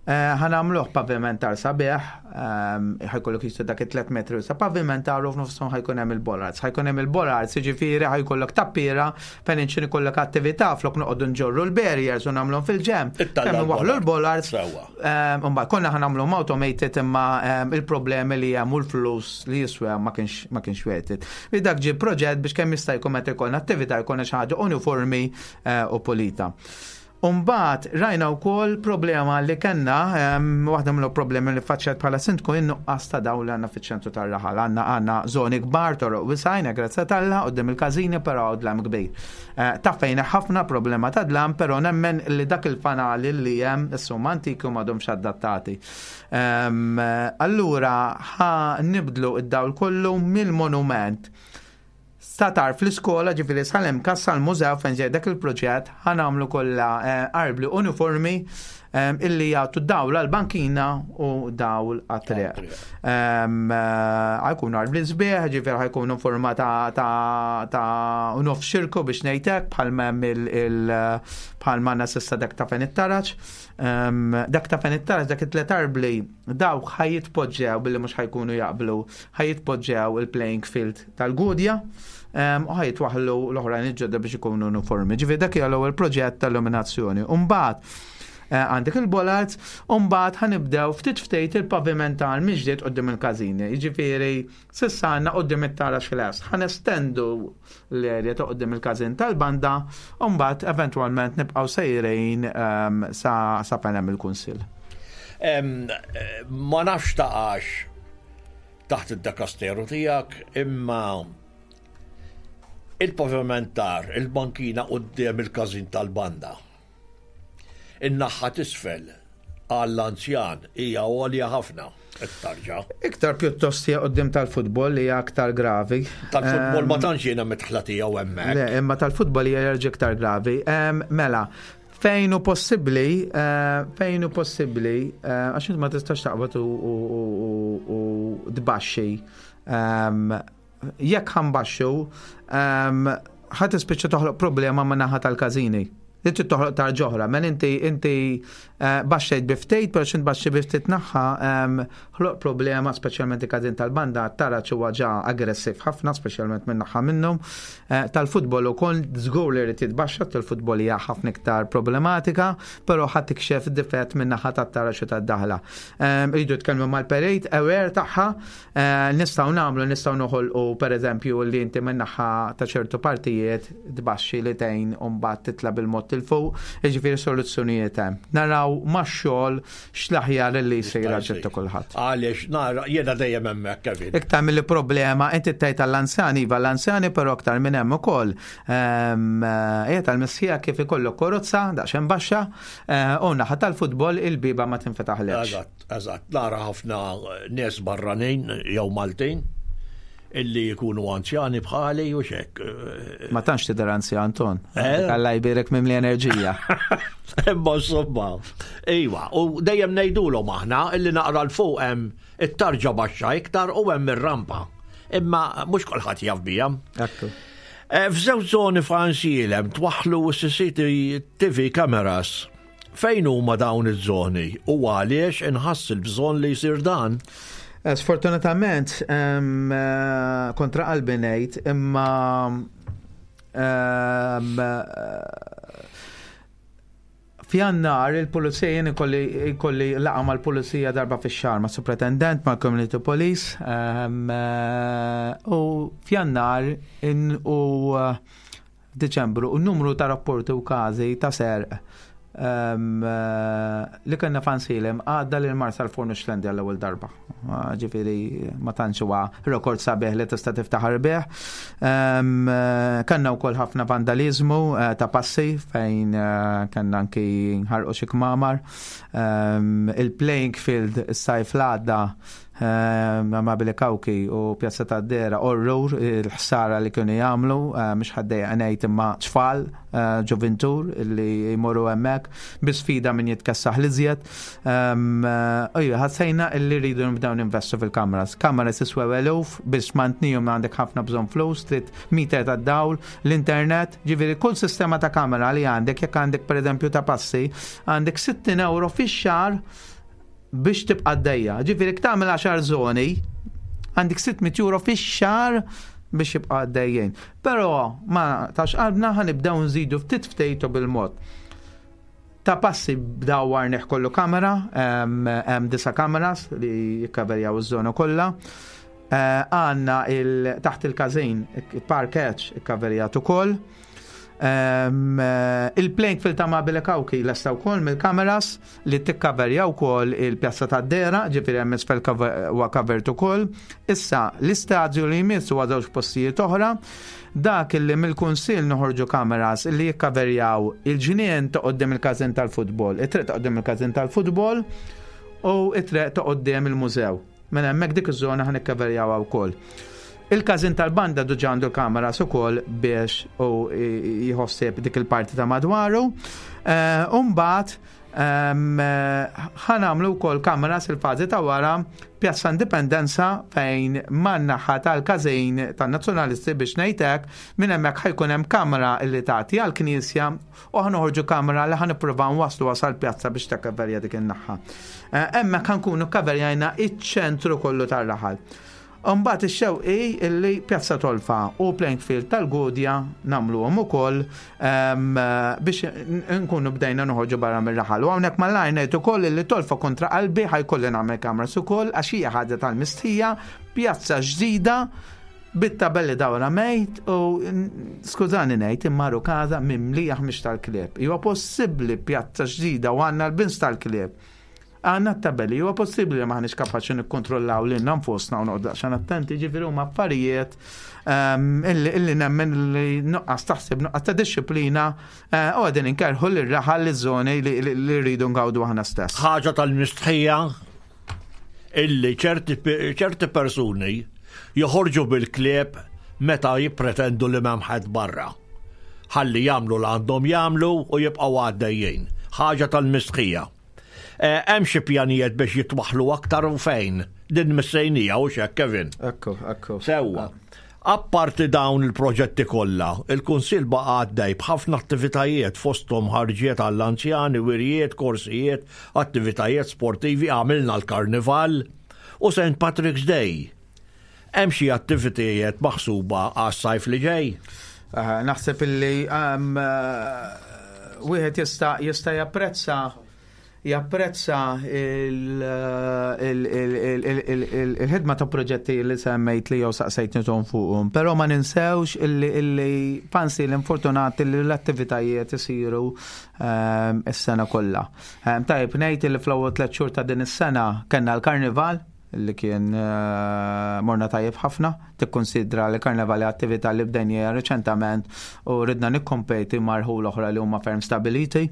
eh, ħa nagħmluh pavimentar sabiħ, ehm, ħa jkollok jistu dak it-tliet metri sa pavimentar u f'nofshom ħa jkun hemm il-bollards. Ħa jkun hemm il-bollards, jiġifieri ħa jkollok tappiera fejn inxin ikollok attività, flok noqogħdu nġorru l-barriers u nagħmluhom fil-ġenb. Ittalla' Kemm waħlu l-bollards. Sewwa. Ehm, Mbagħad konna ħa nagħmluhom automated, imma ehm, il-problemi li hemm u l-flus li jiswew ma kienx ma kienx worth it. Li dak ġie proġett biex kemm jista' jkun meta jkollna attività jkollna xi ħaġa uniformi eh, u pulita. Umbagħad rajna wkoll problema li kellna, ehm, waħda mill problemi li faċċet bħala sindku, in-nuqqas ta' dawl li għandna fiċ-ċentru tar-raħal. Għandna għandna żoni kbar, toroq wisgħin, grazzi t'Alla, quddiem il-każini, però dlam kbir. Eh, Taffejna ħafna problema ta' dlam, però nemmen li dak il-fanali li hemm issa huma antiki u m'għadhomx adattati. Ehm, Allura ħa nibdlu id-dawl kollu mill-monument statar fl-iskola, ġifieri sal-em kassa l-mużew fejn ġej dak il-proġett, ħa nagħmlu kollha eh, arbli uniformi eh, illi jagħtu dawl għal-bankina u dawl għat-triq. Ehm, eh, Ħa jkunu arbli sbieħ, ġifieri ħa jkunu forma ta' ta' ta' nofs xirku biex ngħidlek, bħal hemm il- il- bħal ma s'issa dak ta' fejn it-taraġ. Ehm, Dak ta' fejn it-taraġ, dak it-tlet arbli, dawk ħa jitpoġġew billi mhux ħa jkunu jaqblu, ħa jitpoġġew il-playing field tal-Gudja um, u ħa jitwaħlu l-oħrajn il-ġodda biex ikunu uniformi. Ġifieri dak hija l-ewwel proġett tal-illuminazzjoni. Umbagħad eh, għandek il-bollards, umbagħad ħa nibdew ftit ftit il-pavimentar mill-ġdid quddiem il-każini. Ġifieri, s'issa għandna quddiem it-taraġ fil-es. Ħa nestendu l-area ta' quddiem il-każin tal-banda, umbagħad eventwalment nibqgħu sejrin um, sa, sa fejn hemm il-kunsill. Em, eh, Ma nafx taqax taħt id-dekasteru tiegħek, imma Il-pavimentar, il-bankina quddiem il-każin tal-banda. In-naħa t'isfel għall-anzjan hija għolja ħafna it-tarġa. Iktar pjuttost hija quddiem tal-futbol li hija aktar gravi. Tal-futbol ma tantx jiena mitħla tiegħu hemmhekk. Le, imma tal-futbol hija jerġa' iktar gravi. Em, Mela, fejn hu possibbli, eh, fejn hu possibbli, eh, għax int ma tistax taqbad u- u- u- u tbaxxi. Em, Jekk ħa nbaxxu, em, ħa tispiċċa toħloq problema ma' naħa tal-każini. Li trid toħloq tarġa oħra, men inti inti eh, baxxejt bi ftit, però x'int baxxi bi ftit naħa, em, ħloq problema, speċjalment il-każin tal-banda, tara huwa ġa aggressiv ħafna, speċjalment minn naħa minnhom. Eh, Tal-futbol ukoll żgur li jrid jitbaxxa, tal-futbol hija ħafna iktar problematika, però ħadd tikxef difett minn naħa tat-taraġ u tad-daħla. Em, Iridu jitkellmu mal-perit, aware tagħha, eh, nistgħu nagħmlu, nistgħu noħolqu pereżempju li inti minn naħa ta' ċertu partijiet tbaxxi li tgħin u mbagħad titla' bil-mod 'il fuq, jiġifieri soluzzjonijiet hemm. Naraw max-xogħol x'l-aħjar li jsir għal kulħadd. Għaliex nara jiena dejjem hemmhekk, Kevin. Iktar mill problema, inti tgħid tal-anzjani, iva l-anzjani, però aktar minn hemm ukoll. Ehm, Ejja tal-missija kif ikollok karozza, daqsxejn baxxa, eh, u naħa tal-futbol il-biba ma tinfetaħlekx. Eżatt, eżatt. Nara ħafna nies barranin jew Maltin illi jkunu anzjani bħali u xek. Ma tantx tidher anzjan, Anton. Eh? Alla jbierek mimli enerġija. Imma insomma. Iva, u dejjem ngħidulhom aħna illi naqra 'l fuq hemm it-tarġa baxxa iktar u hemm ir-rampa. Imma mhux kulħadd jaf biha. Ekku. Eh, F'żewġ żoni f'Għajnsielem twaħħlu C C T V cameras. Fejn huma dawn iż-żoni u għaliex inħass il-bżonn li jsir dan? Eh, Sfortunatament, em, eh, kontra qalbi ngħid, imma em, eh, f'Jannar il-pulizija jien ikolli ikolli laqgħa mal-pulizija darba fix-xahar ma' superintendent, ma' community police em, eh, u f'Jannar in u eh, Deċembru u numru ta' rapporti u każi ta' serq em, eh, li kellna f'Għajnsielem għadda lil Marsalforn u Xlendi għall-ewwel darba. Ah, Ġifieri ma tantx huwa rekord sabiħ li tista' tiftaħar bih. Em, eh, Kellna wkoll ħafna vandalizmu eh, ta' passi fejn eh, kellna anki nħarqu xi kmamar. Em, Il-playing field is-sajf l-għadda ma' Billy Kawki u Pjazza ta' Dera orrur il-ħsara li kienu jagħmlu, eh, mhux ħaddejja ngħid imma tfal eh, ġovintur li jmorru hemmhekk bi sfida min jitkessaħ l-iżjed. Ejja, ħassejna illi rridu nibdew ninvestu fil-kameras. Kameras jiswew eluf biex mantnihom għandek ħafna bżonn flus, trid meter ta' dawl, l-internet, ġifieri kull sistema ta' kamera li għandek, jekk għandek pereżempju ta' passi, għandek sittin euro fix-xahar biex tibqa' għaddejja. Ġifieri jekk tagħmel għaxar żoni, għandek sitt mitt euro fix-xahar biex jibqa' għaddejjin. Però ma tax qalbna, ħa nibdew nżidu ftit ftit u bil-mod. Ta' passi bdawwarnih kollu kamera, hemm disa' kameras li jikkaverjaw iż-żona kollha. Eh, Għandna il taħt il-każin, il-parkeġġ ikkaverjat ukoll. Um, eh, Il-playing field ta' Mabile Kawki lesta wkoll mill-kameras li tikkaverja wkoll il-pjazza ta' Dera, ġifieri hemm isfel huwa covered ukoll. Issa l-istadju li jmiss huwa żewġ postijiet oħra. Dak illi mill-kunsill noħorġu kameras li jikkaverjaw il-ġnien ta' quddiem il-każin tal-futbol, it-triq ta' quddiem il-każin tal-futbol u it-triq ta' quddiem il-mużew. Mela hemmhekk dik iż-żona ħa nikkaverjawha wkoll. Il-każin tal-banda diġà għandu l-kameras ukoll biex u jħossib dik il-parti ta' madwaru. Eh, Umbagħad ħa nagħmlu wkoll kameras il-fażi ta' wara Pjazza Indipendenza fejn man-naħa tal-każin tan-nazzjonalisti, biex ngħidlek, minn hemmhekk ħa jkun hemm kamera li tagħti għall-knisja u ħa noħorġu kamera li ħa nippruvaw nwasslu wasal pjazza biex takkaverja dik in-naħa. Eh, Hemmhekk ħa nkunu kaverjajna iċ-ċentru kollu tar-raħal. Umbagħad ix-xewqa illi Pjazza Tolfa u playing field tal-Gudja nagħmluhom ukoll em, biex nkunu bdejna noħorġu barra mir-raħal. U hawnhekk mal-lajn ngħid ukoll illi Tolfa kontra qalbi ħa jkolli nagħmel kameras ukoll għax hija ħaġa tal-mistħija, pjazza ġdida bit-tabelli dawra mejt u skużani ngħid imma kaza mimlija ħmieġ tal-klieb. Huwa possibbli pjazza ġdida u għandna l-bins tal-klieb? Għandna t-tabelli, huwa possibbli li m'aħniex kapaċi nikkontrollaw lilna nfusna u noqgħod daqsxejn attenti, ġifieri huma affarijiet ehm, illi illi nemmen li nuqqas taħseb, nuqqas ta' disċiplina eh, u qegħdin inkerrħu lir-raħal, liż-żoni li li- li rridu ngawdu aħna stess. Ħaġa tal-mistħija illi ċerti, ċerti persuni joħorġu bil-klieb meta jippretendu li m'hemm ħadd barra. Ħalli jagħmlu l għandhom jagħmlu u jibqgħu għaddejjin. Ħaġa tal-mistħija. Eh, Hemm xi pjanijiet biex jitwaħlu aktar u fejn? Din missejnija u xek, Kevin. Ekku, ekku. Sewwa. Apparti dawn il-proġetti kollha, il-Kunsill baqa' għaddej b'ħafna attivitajiet, fosthom ħarġiet għall-anzjani, wirjiet, korsijiet, attivitajiet sportivi, għamilna l-Karnival u Saint Patrick's Day. Hemm xi attivitajiet maħsuba għas-sajf li ġej? Eh, Naħseb illi um, eh, wieħed jista' jista' japprezza japprezza il- il- il- il- il- il- il-ħidma ta' proġetti li semmejt li jew saqsejtni ton fuqhom, però ma ninsewx illi illi pansi l-infortunati li l-attivitajiet isiru ehm, is-sena kollha. Ehm, Tajjeb ngħid li fl-ewwel tliet xhur ta' din is-sena kellna l-Karnival li kien eh, morna tajjeb ħafna, tikkonsidra li karnevali attività li bdejnija reċentament u ridna nikkompeti ma' rħula oħra li huma ferm stabiliti.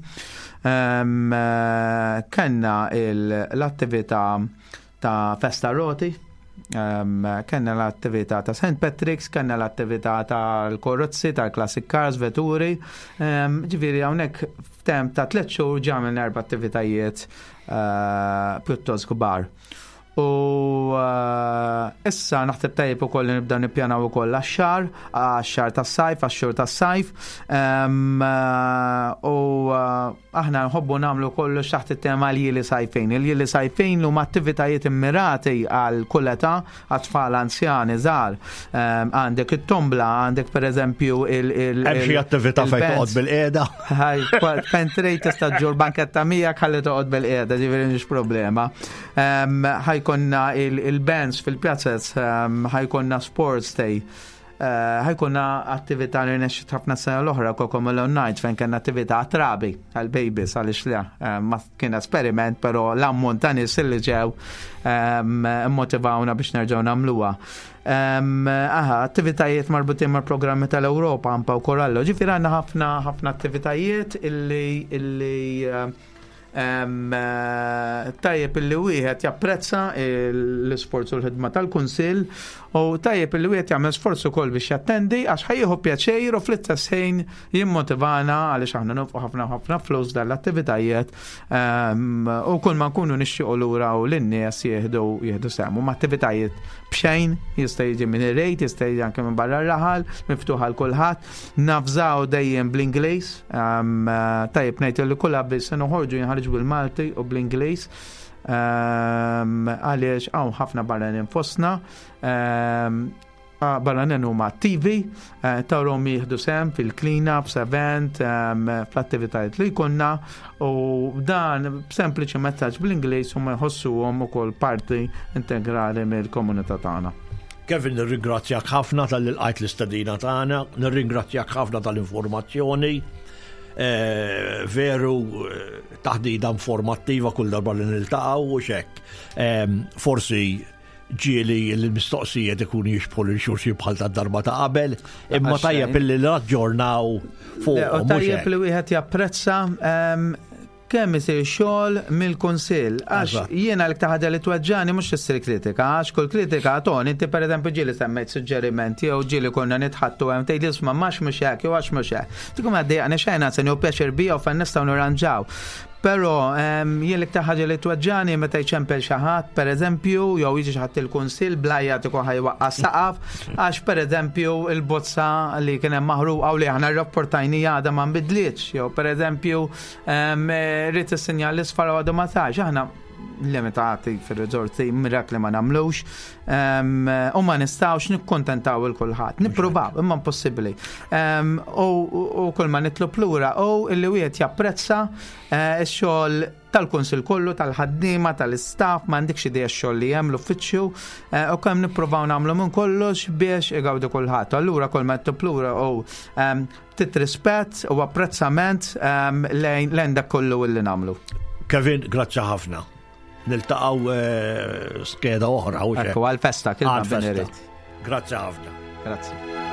Um, eh, Kenna il- l-attività ta' Festa Roti, um, kenna l-attività ta' Saint Patrick's, kenna l-attività tal-korrozzi, tal-classic cars, vetturi. Um, ġifieri hawnhekk f'temp ta' tliet xhur għamilna erba' attivitajiet uh, pjuttost kbar. U uh, issa naħseb tajjeb ukoll li nibdew nippjanaw ukoll għax-xahar, għax-xahar tas-sajf, għax-xhur tas-sajf. Um, uh, U uh, aħna nħobbu nagħmlu kollox taħt it-tema l-ljieli sajfin. Il-ljieli sajfin huma attivitajiet immirati għal kull età, għat-tfal, anzjani, żgħar. Um, Għandek it-tombla, għandek per eżempju il- il- Hemm xi il- attività fejn il-bands. toqgħod bil-qiegħda? Ħaj, pentrej tista' ġġorr banketta miegħek ħalli toqgħod bil-qiegħda, ġifieri mhix problema. Um, ħa jkollna il-bands fil-pjazzez, um, ħa jkollna sports day. Uh, ħa jkollna attività li rnexxiet ħafna sena l-oħra, Cocomelon Night, fejn kellna attività trabi għal-babies, għaliex le, um, ma kien esperiment, pero l-ammont ta' nies li ġew um, motivawna biex nerġgħu nagħmluha. Um, aha, attivitajiet marbutin mal programmi tal-Ewropa, Ampa u Korallo. Ġifieri għandna ħafna ħafna attivitajiet illi illi um, eh, tajjeb illi wieħed japprezza l-isforz u l-ħidma tal-Kunsill u tajjeb illi wieħed jagħmel sforz ukoll biex jattendi għax ħa jieħu pjaċir u fl-istess ħin jimmotivana għaliex aħna nonfqu ħafna ħafna flus dal-attivitajiet um, u kull ma nkunu nixtiequ lura u lin-nies jieħdu jieħdu sehem. Huma attivitajiet b'xejn, jista' jiġi min irid, jista' jiġi anke minn barra r-raħal, miftuħ għal kulħadd. Navżaw dejjem bl-Ingliż, um, tajjeb ngħid li kull avviż se noħorġu jinħarġ bil-Malti u bl-Ingliż. Um, għaliex hawn ħafna barranin fostna, um, ah, barranin huma attivi, eh, tarahom jieħdu sehem fil-clean-ups, event, um, fl-attivitajiet li jkollna u dan b'sempliċi messaġġ bl-Ingliż huma jħossuhom ukoll parti integrali mill-komunità tagħna. Kevin, nirringrazzjak ħafna talli lqajt l-istedina tagħna, nirringrazzjak ħafna tal-informazzjoni. Eh, veru eh, taħdida informattiva kull darba li niltaqgħu u xek. Em, Forsi ġieli l-mistoqsijiet ikunu jixbħu lil xulxin bħal ta' darba ta' qabel, imma Għax tajjeb xejn. illi naġġornaw fuq. Le, u tajjeb li wieħed japprezza em, kemm isir xogħol mill-Kunsill. Għax Eżatt. jiena l-iktar ħaġa li tweġġani mhux issir kritika, għax kull kritika ton, inti per eżempju ġieli semmejt suġġerimenti jew ġieli konna nitħattu hemm tgħid isma' max mhux hekk jew għax mhux hekk. Tkun għaddejjaqni xejn, se nieħu pjaċir bija u fejn nistgħu nirranġaw. Però em, jien l-iktar ħaġa li tweġġani meta jċempel xi ħadd pereżempju jew jiġi xi ħadd il-kunsill bl-għajjat ikun ħa jwaqqa' saqaf għax pereżempju il-bozza li kien hemm maħruqa u li aħna rrapportajni għadha ma nbidlitx jew pereżempju em, rrid is-sinjal l-isfar u għadu ma sarx. Aħna limitati fil-riżorsi, mirakli ma nagħmlux em, u ma nistgħux nikkontentaw lil kulħadd. Nippruvaw, imma impossibbli. Em, U u kull ma nitlob lura u illi wieħed japprezza eh, x-xogħol tal-kunsil kollu, tal-ħaddiema, tal-istaff, ma għandekx idea x-xogħol li hemm l-uffiċċju eh, u kemm nippruvaw nagħmlu minn kollox biex igawdu kulħadd. Allura kull ma nitlob lura u em, ftit rispett u apprezzament em, lejn lejn dak kollu illi nagħmlu. Kevin, grazzi ħafna. Niltaqgħu eh, skeda oħra. Ekku għal-festa, kif Grazzi ħafna. Grazzi.